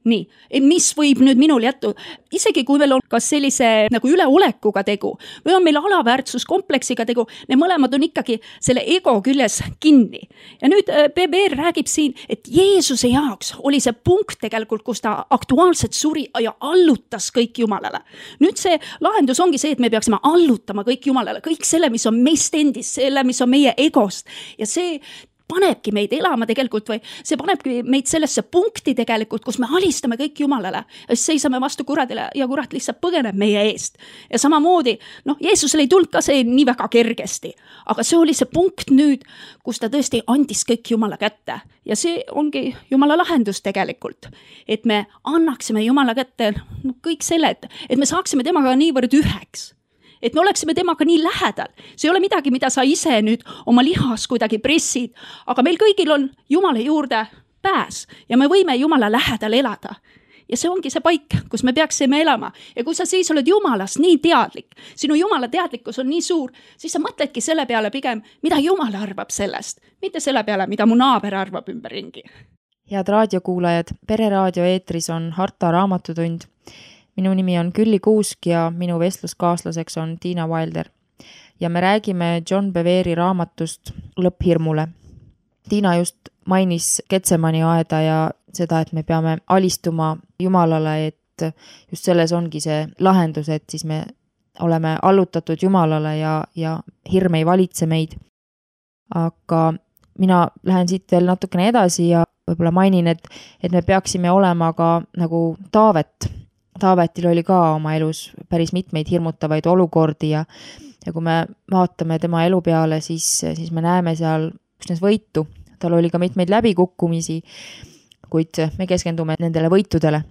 Nii, mis võib nüüd minul jättu, isegi kui meil on kas sellise nagu üleolekuga tegu või on meil alaväärtsuskompleksiga tegu, need mõlemad on ikkagi selle ego küljes kinni. Ja nüüd Bevere räägib siin, et Jeesuse jaoks oli see punkt tegelikult, kus ta aktuaalselt suri ja allutas kõik Jumalale. Nüüd see lahendus ongi see, et me peaksime allutama kõik Jumalale, kõik selle, mis on meist endist, selle, mis on meie egost ja see panebki meid elama tegelikult või see panebki meid sellesse punkti tegelikult, kus me alistame kõik Jumalale ja siis seisame vastu kuradile ja kurat lihtsalt põgeneb meie eest. Ja samamoodi, Jeesusele ei tulnud ka see nii väga kergesti, aga see oli see punkt nüüd, kus ta tõesti andis kõik Jumala kätte. Ja see ongi Jumala lahendus tegelikult, et me annaksime Jumala kätte kõik selle, et me saaksime temaga niivõrd üheks. Et me oleksime temaga nii lähedal. See ei ole midagi, mida sa ise nüüd oma lihas kuidagi pressid, aga meil kõigil on Jumala juurde pääs ja me võime Jumala lähedal elada. Ja see ongi see paik, kus me peaksime elama. Ja kui sa siis oled Jumalast nii teadlik, sinu Jumala teadlikkus on nii suur, siis sa mõtledki selle peale pigem, mida Jumal arvab sellest, mitte selle peale, mida mu naaber arvab ümberringi. Head raadiokuulajad, Pereraadio eetris on Harta raamatutund. Minu nimi on Külli Kuusk ja minu vestluskaaslaseks on Tiina Wilder. Ja me räägime John Bevere raamatust Lõpphirmule. Tiina just mainis Getsemani aeda ja seda, et me peame alistuma Jumalale, et just selles ongi see lahendus, et siis me oleme allutatud Jumalale ja hirm ei valitse meid. Aga mina lähen siit veel natukene edasi ja võib-olla mainin, et me peaksime olema ka nagu Taavet. Taavetil oli ka oma elus päris mitmeid hirmutavaid olukordi ja kui me vaatame tema elu peale, siis me näeme seal üksnes võitu. Tal oli ka mitmeid läbikukkumisi, kuid me keskendume nendele võitudele.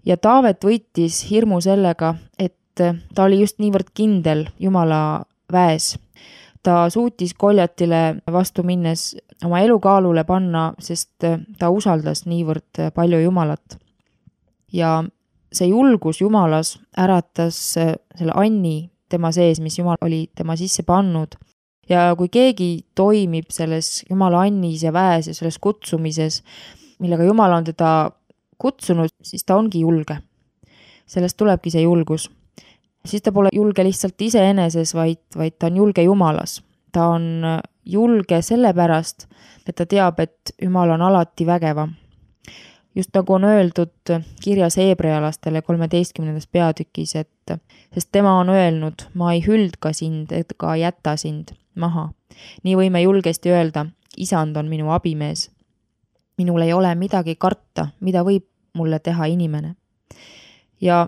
Ja Taavet võitis hirmu sellega, et ta oli just niivõrd kindel Jumala väes. Ta suutis Goljatile vastu minnes oma elu kaalule panna, sest ta usaldas niivõrd palju Jumalat. Ja see julgus Jumalas äratas selle anni tema sees, mis Jumal oli tema sisse pannud. Ja kui keegi toimib selles Jumala annis ja väes ja selles kutsumises, millega Jumal on teda kutsunud, siis ta ongi julge. Sellest tulebki see julgus. Siis ta pole julge lihtsalt iseeneses, vaid ta on julge Jumalas. Ta on julge sellepärast, et ta teab, et Jumal on alati vägevam. Just nagu on öeldud kirjas Heebrealastele 13. peatükis, sest tema on öelnud, ma ei hüldka sind, et ka jäta sind maha. Nii võime julgesti öelda, isand on minu abimees. Minul ei ole midagi karta, mida võib mulle teha inimene. Ja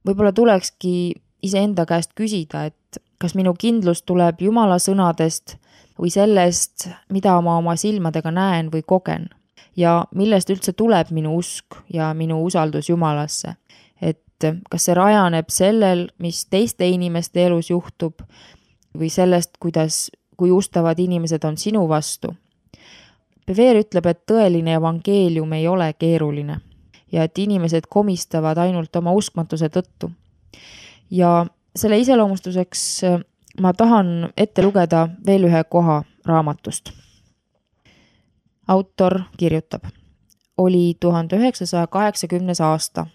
võib-olla tulekski iseenda käest küsida, et kas minu kindlus tuleb Jumala sõnadest või sellest, mida ma oma silmadega näen või kogen. Ja millest üldse tuleb minu usk ja minu usaldus Jumalasse. Et kas see rajaneb sellel, mis teiste inimeste elus juhtub või sellest, kui ustavad inimesed on sinu vastu. Bevere ütleb, et tõeline evangeelium ei ole keeruline ja et inimesed komistavad ainult oma uskmatuse tõttu. Ja selle iseloomustuseks ma tahan ette lugeda veel ühe koha raamatust. Autor kirjutab, oli 1980 aasta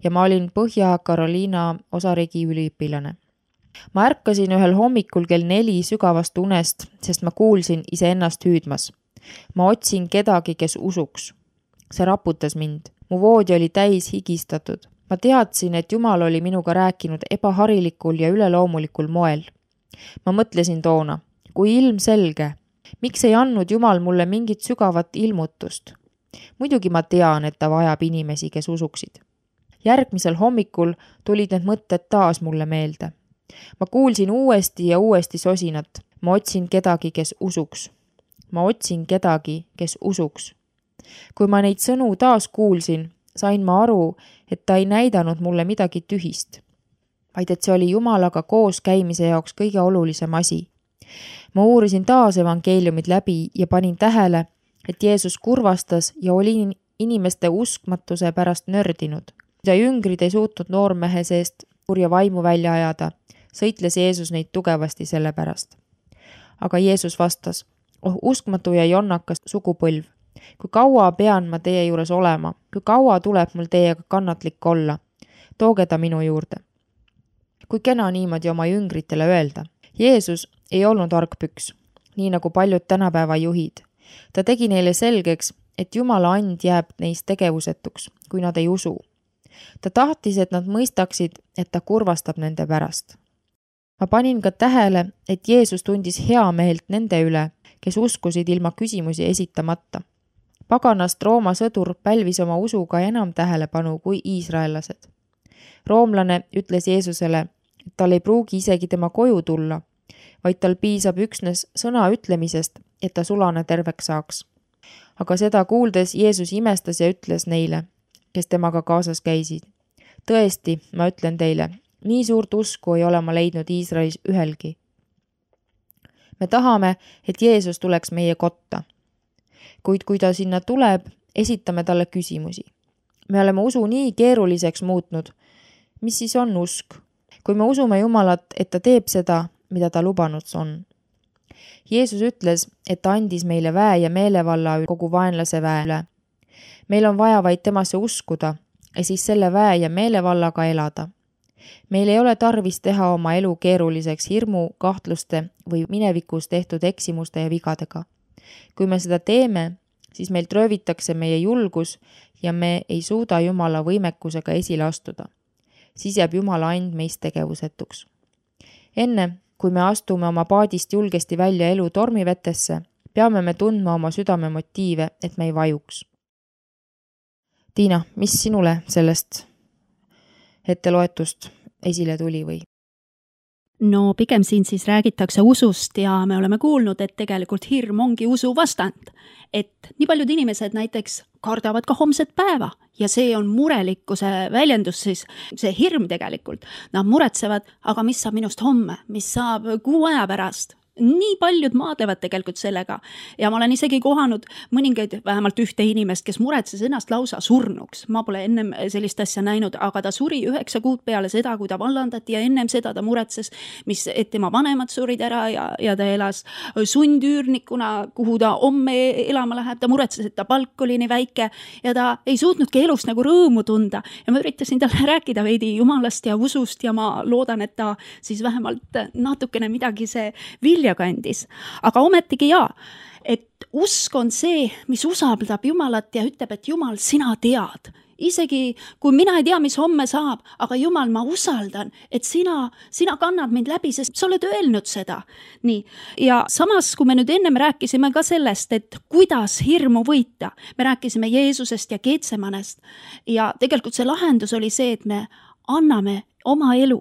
ja ma olin Põhja-Carolina osariigi üliõpilane. Ma ärkasin ühel hommikul kell 4 sügavast unest, sest ma kuulsin iseennast hüüdmas. Ma otsin kedagi, kes usuks. See raputas mind. Mu voodi oli täis higistatud. Ma teadsin, et Jumal oli minuga rääkinud ebaharilikul ja üleloomulikul moel. Ma mõtlesin toona, kui ilmselge, miks ei andnud Jumal mulle mingit sügavat ilmutust? Muidugi ma tean, et ta vajab inimesi, kes usuksid. Järgmisel hommikul tulid need mõtted taas mulle meelde. Ma kuulsin uuesti ja uuesti sosinat. Ma otsin kedagi, kes usuks. Ma otsin kedagi, kes usuks. Kui ma neid sõnu taas kuulsin, sain ma aru, et ta ei näidanud mulle midagi tühist, vaid et see oli Jumalaga koos käimise jaoks kõige olulisem asi. Ma uurisin taas evangeeliumid läbi ja panin tähele, et Jeesus kurvastas ja oli inimeste uskmatuse pärast nördinud. Ja jüngrid ei suutnud noormehe seest kurja vaimu välja ajada, sõitles Jeesus neid tugevasti selle pärast. Aga Jeesus vastas, uskmatu ja jonnakas sugupõlv, kui kaua pean ma teie juures olema, kui kaua tuleb mul teiega kannatlik olla, tooge ta minu juurde. Kui kena niimoodi oma jüngritele öelda. Jeesus ei olnud argpüks, nii nagu paljud tänapäeva juhid. Ta tegi neile selgeks, et Jumala and jääb neist tegevusetuks, kui nad ei usu. Ta tahtis, et nad mõistaksid, et ta kurvastab nende pärast. Ma panin ka tähele, et Jeesus tundis hea meelt nende üle, kes uskusid ilma küsimusi esitamata. Paganast Rooma sõdur pälvis oma usuga enam tähelepanu kui iisraellased. Roomlane ütles Jeesusele, et tal ei pruugi isegi tema koju tulla, vaid tal piisab üksnes sõna ütlemisest, et ta sulane terveks saaks. Aga seda kuuldes Jeesus imestas ja ütles neile, kes temaga kaasas käisid. Tõesti, ma ütlen teile, nii suurt usku ei ole ma leidnud Iisraelis ühelgi. Me tahame, et Jeesus tuleks meie kotta. Kuid kui ta sinna tuleb, esitame talle küsimusi. Me oleme usu nii keeruliseks muutnud. Mis siis on usk? Kui me usume Jumalat, et ta teeb seda, mida ta lubanud on. Jeesus ütles, et ta andis meile väe ja meelevalla kogu vaenlase väe üle. Meil on vaja vaid temasse uskuda ja siis selle väe ja meelevallaga elada. Meil ei ole tarvis teha oma elu keeruliseks hirmu, kahtluste või minevikus tehtud eksimuste ja vigadega. Kui me seda teeme, siis meilt röövitakse meie julgus ja me ei suuda Jumala võimekusega esile astuda. Siis jääb Jumala and meist tegevusetuks. Enne, kui me astume oma paadist julgesti välja elu tormivetesse, peame me tundma oma südame motiive, et me ei vajuks. Tiina, mis sinule sellest etteloetust esile tuli või? No pigem siin siis räägitakse usust ja me oleme kuulnud, et tegelikult hirm ongi usu vastand. Et nii paljud inimesed näiteks kardavad ka homset päeva ja see on murelikkuse väljendus siis, see hirm tegelikult. Nad muretsevad, aga mis saab minust homme, mis saab kuu aja pärast? Nii paljud maadlevad tegelikult sellega ja ma olen isegi kohanud mõningaid, vähemalt ühte inimest, kes muretses ennast lausa surnuks. Ma pole ennem sellist asja näinud, aga ta suri 9 kuud peale seda, kui ta vallandati ja ennem seda ta muretses, et tema vanemad surid ära ja ta elas sundüürnikuna, kuhu ta homme elama läheb. Ta muretses, et ta palk oli nii väike ja ta ei suutnudki elust nagu rõõmu tunda. Ja ma üritasin talle rääkida veidi Jumalast ja usust ja ma loodan, et ta siis vähemalt natukene midagi see vilja kandis. Aga ometigi et usk on see, mis usaldab Jumalat ja ütleb, et Jumal, sina tead. Isegi kui mina ei tea, mis homme saab, aga Jumal, ma usaldan, et sina kannad mind läbi, sest sa oled öelnud seda. Nii. Ja samas, kui me nüüd ennem rääkisime ka sellest, et kuidas hirmu võita, me rääkisime Jeesusest ja Getsemanest ja tegelikult see lahendus oli see, et me anname oma elu,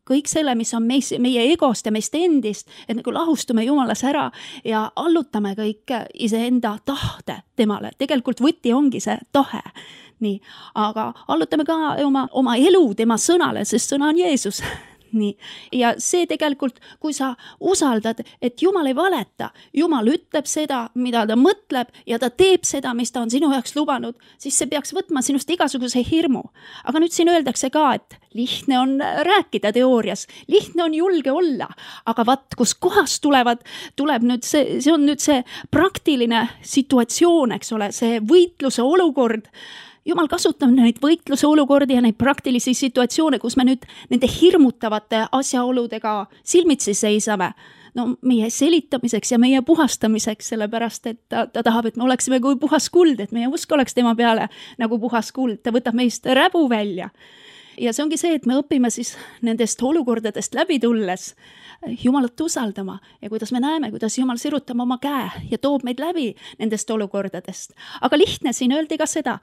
kõik selle, mis on meie egost ja meist endist, et nagu lahustume Jumalas ära ja allutame kõik iseenda tahte temale. Tegelikult võti ongi see tahe. Nii, aga allutame ka oma elu tema sõnale, sest sõna on Jeesus. Nii. Ja see tegelikult, kui sa usaldad, et Jumal ei valeta, Jumal ütleb seda, mida ta mõtleb ja ta teeb seda, mis ta on sinu jaoks lubanud, siis see peaks võtma sinust igasuguse hirmu. Aga nüüd siin öeldakse ka, et lihtne on rääkida teoorias, lihtne on julge olla, aga kus kohas tuleb nüüd see on nüüd see praktiline situatsioon, eks ole, see võitluse olukord. Jumal kasutab neid võitluse olukordi ja neid praktilisi situatsioone, kus me nüüd nende hirmutavate asjaoludega silmitsi seisame. No meie selitamiseks ja meie puhastamiseks, sellepärast, et ta tahab, et me oleksime kui puhas kuld, et meie usk oleks tema peale nagu puhas kuld. Ta võtab meist räbu välja. Ja see ongi see, et me õpime siis nendest olukordadest läbi tulles Jumalat usaldama ja kuidas me näeme, kuidas Jumal sirutab oma käe ja toob meid läbi nendest olukordadest. Aga lihtne siin öeldi ka seda,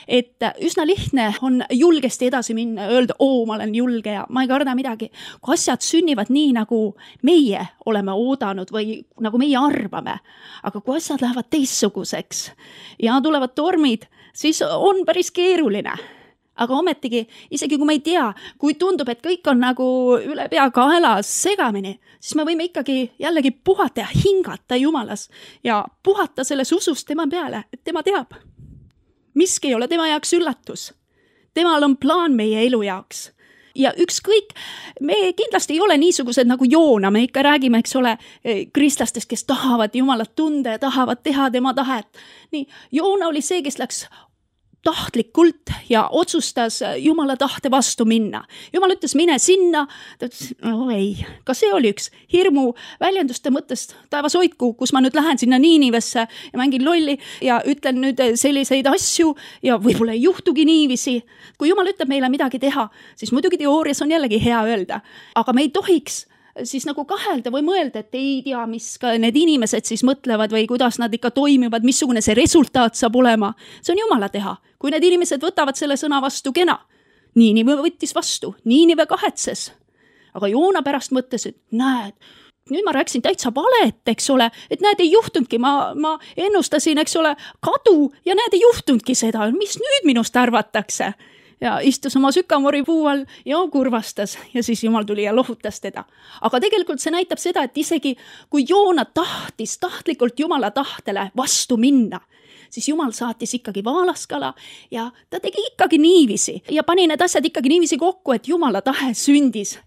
et üsna lihtne on julgesti edasi minna, öelda, ma olen julge ja ma ei karda midagi. Kui asjad sünnivad nii, nagu meie oleme oodanud või nagu meie arvame, aga kui asjad lähevad teistsuguseks ja tulevad tormid, siis on päris keeruline. Aga ometigi, isegi kui me ei tea, kui tundub, et kõik on nagu üle pea kaelas segamini, siis me võime ikkagi jällegi puhata ja hingata Jumalas ja puhata selles usust tema peale, et tema teab. Miski ei ole tema jaoks üllatus. Temal on plaan meie elu jaoks. Ja ükskõik, me kindlasti ei ole niisugused nagu Joona, me ikka räägime, eks ole, kristlastest, kes tahavad Jumalat tunda ja tahavad teha tema tahet. Nii, Joona oli see, kes läks tahtlikult ja otsustas Jumala tahte vastu minna. Jumal ütles, mine sinna. Ta ütles, ei, ka see oli üks hirmu väljenduste mõttest. Taevas hoidku, kus ma nüüd lähen sinna Niinivesse ja mängin lolli ja ütlen nüüd selliseid asju ja võib-olla ei juhtugi niivisi. Kui Jumal ütleb meile midagi teha, siis muidugi teoorias on jällegi hea öelda. Aga me ei tohiks siis nagu kahelda või mõelda, et ei tea, mis ka need inimesed siis mõtlevad või kuidas nad ikka toimivad, missugune see resultaat saab olema. See on Jumala teha. Kui need inimesed võtavad selle sõna vastu, kena. Niinive võttis vastu, Niinive kahetses. Aga Joona pärast mõtles, et näed, nüüd ma rääkisin täitsa valet, eks ole, et näed, ei juhtunudki, ma ennustasin, eks ole, kadu ja näed, ei juhtunudki seda, mis nüüd minust arvatakse. Ja istus oma sükamori puu all ja kurvastas ja siis Jumal tuli ja lohutas teda. Aga tegelikult see näitab seda, et isegi kui Joona tahtis tahtlikult Jumala tahtele vastu minna, siis Jumal saatis ikkagi vaalaskala ja ta tegi ikkagi niivisi ja pani need asjad ikkagi niivisi kokku, et Jumala tahe sündis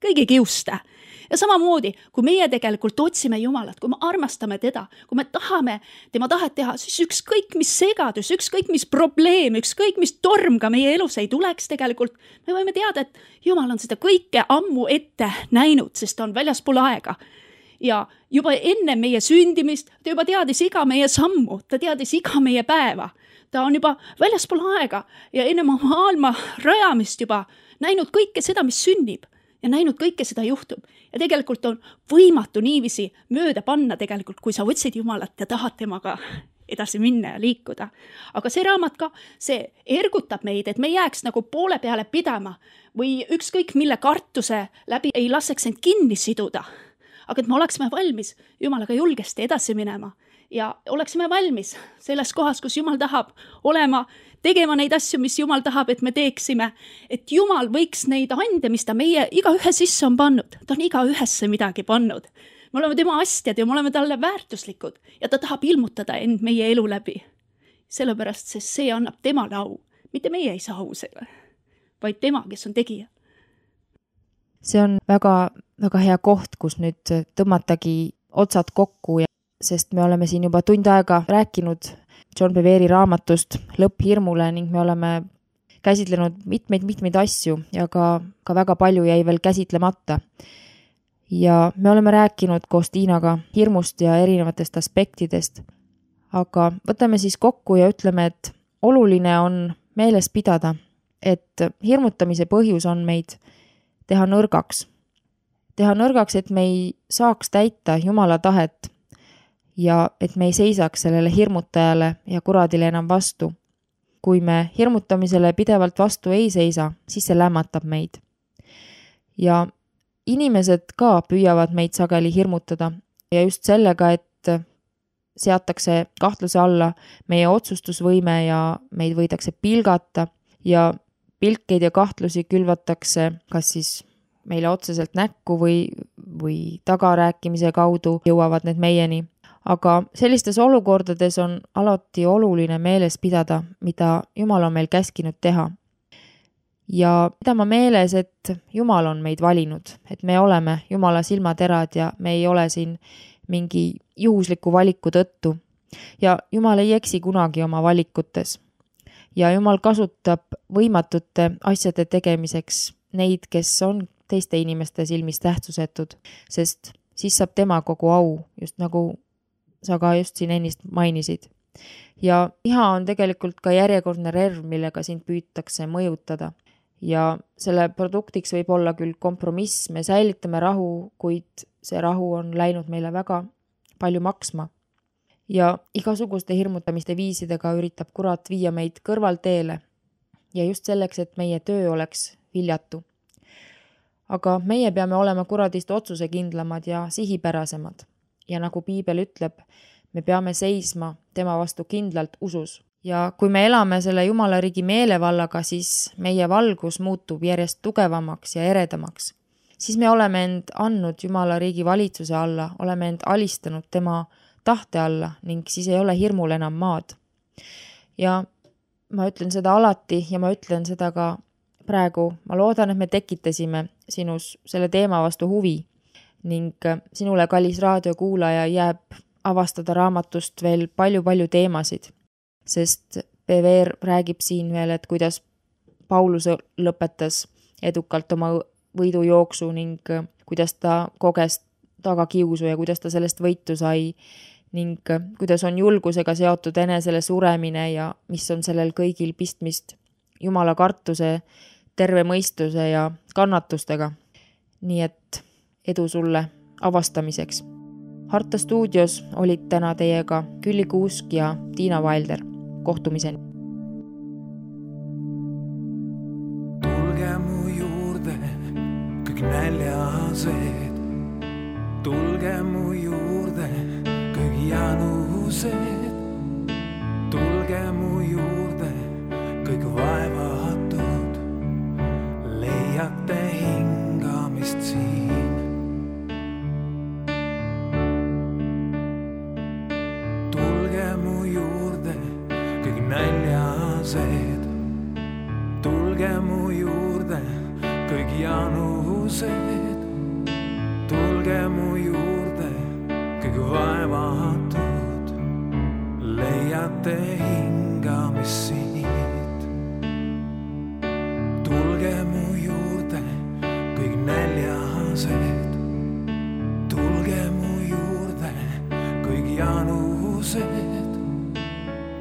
kõigi kiuste. Ja samamoodi, kui meie tegelikult otsime Jumalat, kui me armastame teda, kui me tahame tema tahet teha, siis ükskõik mis segadus, ükskõik mis probleem, ükskõik mis torm ka meie elus ei tuleks tegelikult, me võime teada, et Jumal on seda kõike ammu ette näinud, sest ta on väljaspool aega. Ja juba enne meie sündimist, ta juba teadis iga meie sammu, ta teadis iga meie päeva. Ta on juba väljaspool aega ja enne maailma rajamist juba näinud kõike seda, mis sünnib. Ja näinud kõike seda juhtub. Ja tegelikult on võimatu niivisi mööda panna tegelikult, kui sa otsid Jumalat ja tahad temaga edasi minna ja liikuda. Aga see raamat ka, see ergutab meid, et me jääks nagu poole peale pidama või ükskõik mille kartuse läbi ei laseks end kinni siduda. Aga et me oleksime valmis Jumalaga julgesti edasi minema ja oleksime valmis selles kohas, kus Jumal tahab olema, tegema neid asju, mis Jumal tahab, et me teeksime, et Jumal võiks neid ande, mis ta meie iga ühe sisse on pannud. Ta on iga ühesse midagi pannud. Me oleme tema astjad ja me oleme talle väärtuslikud ja ta tahab ilmutada end meie elu läbi. Sellepärast, sest see annab temale au. Mitte meie ei saa au selle, vaid tema, kes on tegija. See on väga, väga hea koht, kus nüüd tõmmatagi otsad kokku, sest me oleme siin juba tund aega rääkinud John Bevere raamatust Lõpp hirmule ning me oleme käsitlenud mitmeid asju ja ka väga palju jäi veel käsitlemata. Ja me oleme rääkinud koos Tiinaga hirmust ja erinevatest aspektidest, aga võtame siis kokku ja ütleme, et oluline on meeles pidada, et hirmutamise põhjus on meid teha nõrgaks. Teha nõrgaks, et me ei saaks täita Jumala tahet ja et me ei seisaks sellele hirmutajale ja kuradile enam vastu. Kui me hirmutamisele pidevalt vastu ei seisa, siis see lämmatab meid. Ja inimesed ka püüavad meid sageli hirmutada ja just sellega, et seatakse kahtluse alla meie otsustusvõime ja meid võidakse pilgata ja pilkeid ja kahtlusi külvatakse kas siis meile otseselt näkku või tagarääkimise kaudu jõuavad need meieni. Aga sellistes olukordades on alati oluline meeles pidada, mida Jumal on meil käskinud teha. Ja pidama meeles, et Jumal on meid valinud, et me oleme Jumala silmaterad ja me ei ole siin mingi juhusliku valiku tõttu. Ja Jumal ei eksi kunagi oma valikutes. Ja Jumal kasutab võimatute asjade tegemiseks neid, kes on teiste inimeste silmis tähtsusetud, sest siis saab tema kogu au, just nagu sa ka just siin ennist mainisid. Ja viha on tegelikult ka järjekordne relv, millega sind püütakse mõjutada. Ja selle produktiks võib olla küll kompromiss, me säilitame rahu, kuid see rahu on läinud meile väga palju maksma. Ja igasuguste hirmutamiste viisidega üritab kurat viia meid kõrvalteele ja just selleks, et meie töö oleks viljatu. Aga meie peame olema kuradist otsusekindlamad ja sihipärasemad. Ja nagu Piibel ütleb, me peame seisma tema vastu kindlalt usus. Ja kui me elame selle Jumala riigi meelevallaga, siis meie valgus muutub järjest tugevamaks ja eredamaks. Siis me oleme end andnud Jumala riigi valitsuse alla, oleme end alistanud tema tahte alla ning siis ei ole hirmul enam maad. Ja ma ütlen seda alati ja ma ütlen seda ka praegu. Ma loodan, et me tekitasime sinus selle teema vastu huvi. Ning sinule, kallis raadiokuulaja, jääb avastada raamatust veel palju teemasid, sest Bevere räägib siin veel, et kuidas Paulus lõpetas edukalt oma võidujooksu ning kuidas ta koges tagakiusu ja kuidas ta sellest võitu sai ning kuidas on julgusega seotud enesele suremine ja mis on sellel kõigil pistmist Jumala kartuse, terve mõistuse ja kannatustega. Nii et edu sulle avastamiseks. Harta stuudios olid täna teiega Külli Kuusk ja Tiina Vailder. Kohtumiseni. Tulge mu juurde kõik näljased, tulge mu juurde kõik janused, tulge mu juurde kõik vaevatud, leiate hingamist siin. Tulge mu juurde kõik näljased, tulge mu juurde kõik janused, tulge mu juurde kõik vaevatud, leiate hingamist siit. Tulge mu juurde kõik näljased, tulge mu juurde kõik janused,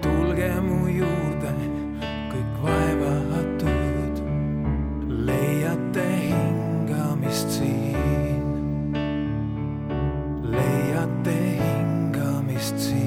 tulge mu juurde kõik vaevatud, leiate hingamist siin, leiate hingamist siin.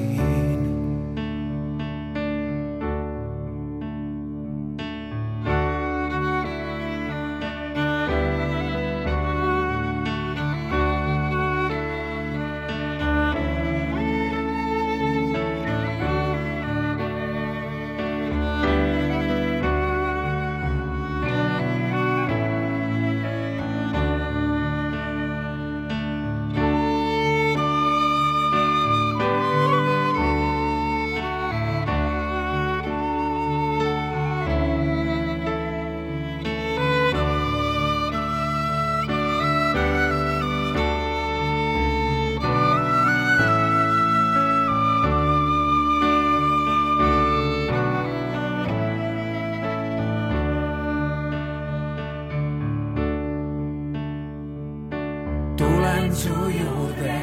Tulen su juurde,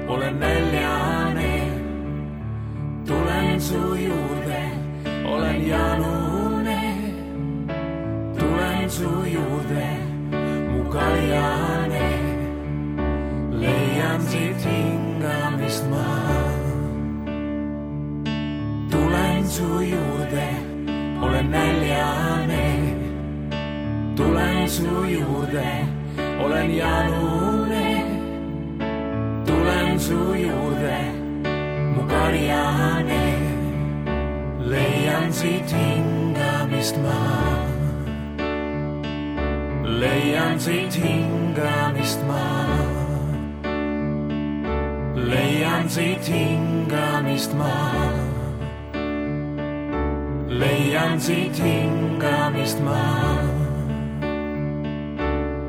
olen näljane, tulen su juurde, olen janune, tulen su juurde, mu kaljane, leian siit hingamist ma. Tulen su juurde, olen näljane, tulen su juurde, olen janune, tulen su juurde, mu karjane, leian siit hingamist ma. Leian siit hingamist ma. Leian siit hingamist ma. Leian siit hingamist ma.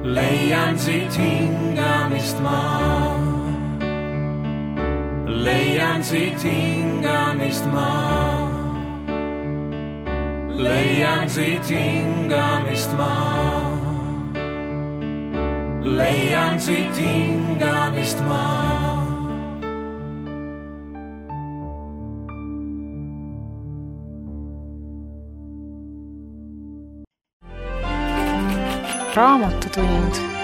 Leian siit hingamist ma. Leian siit hingamist ma. Leian siit hingamist ma. Leian siit hingamist ma. Raamatutund.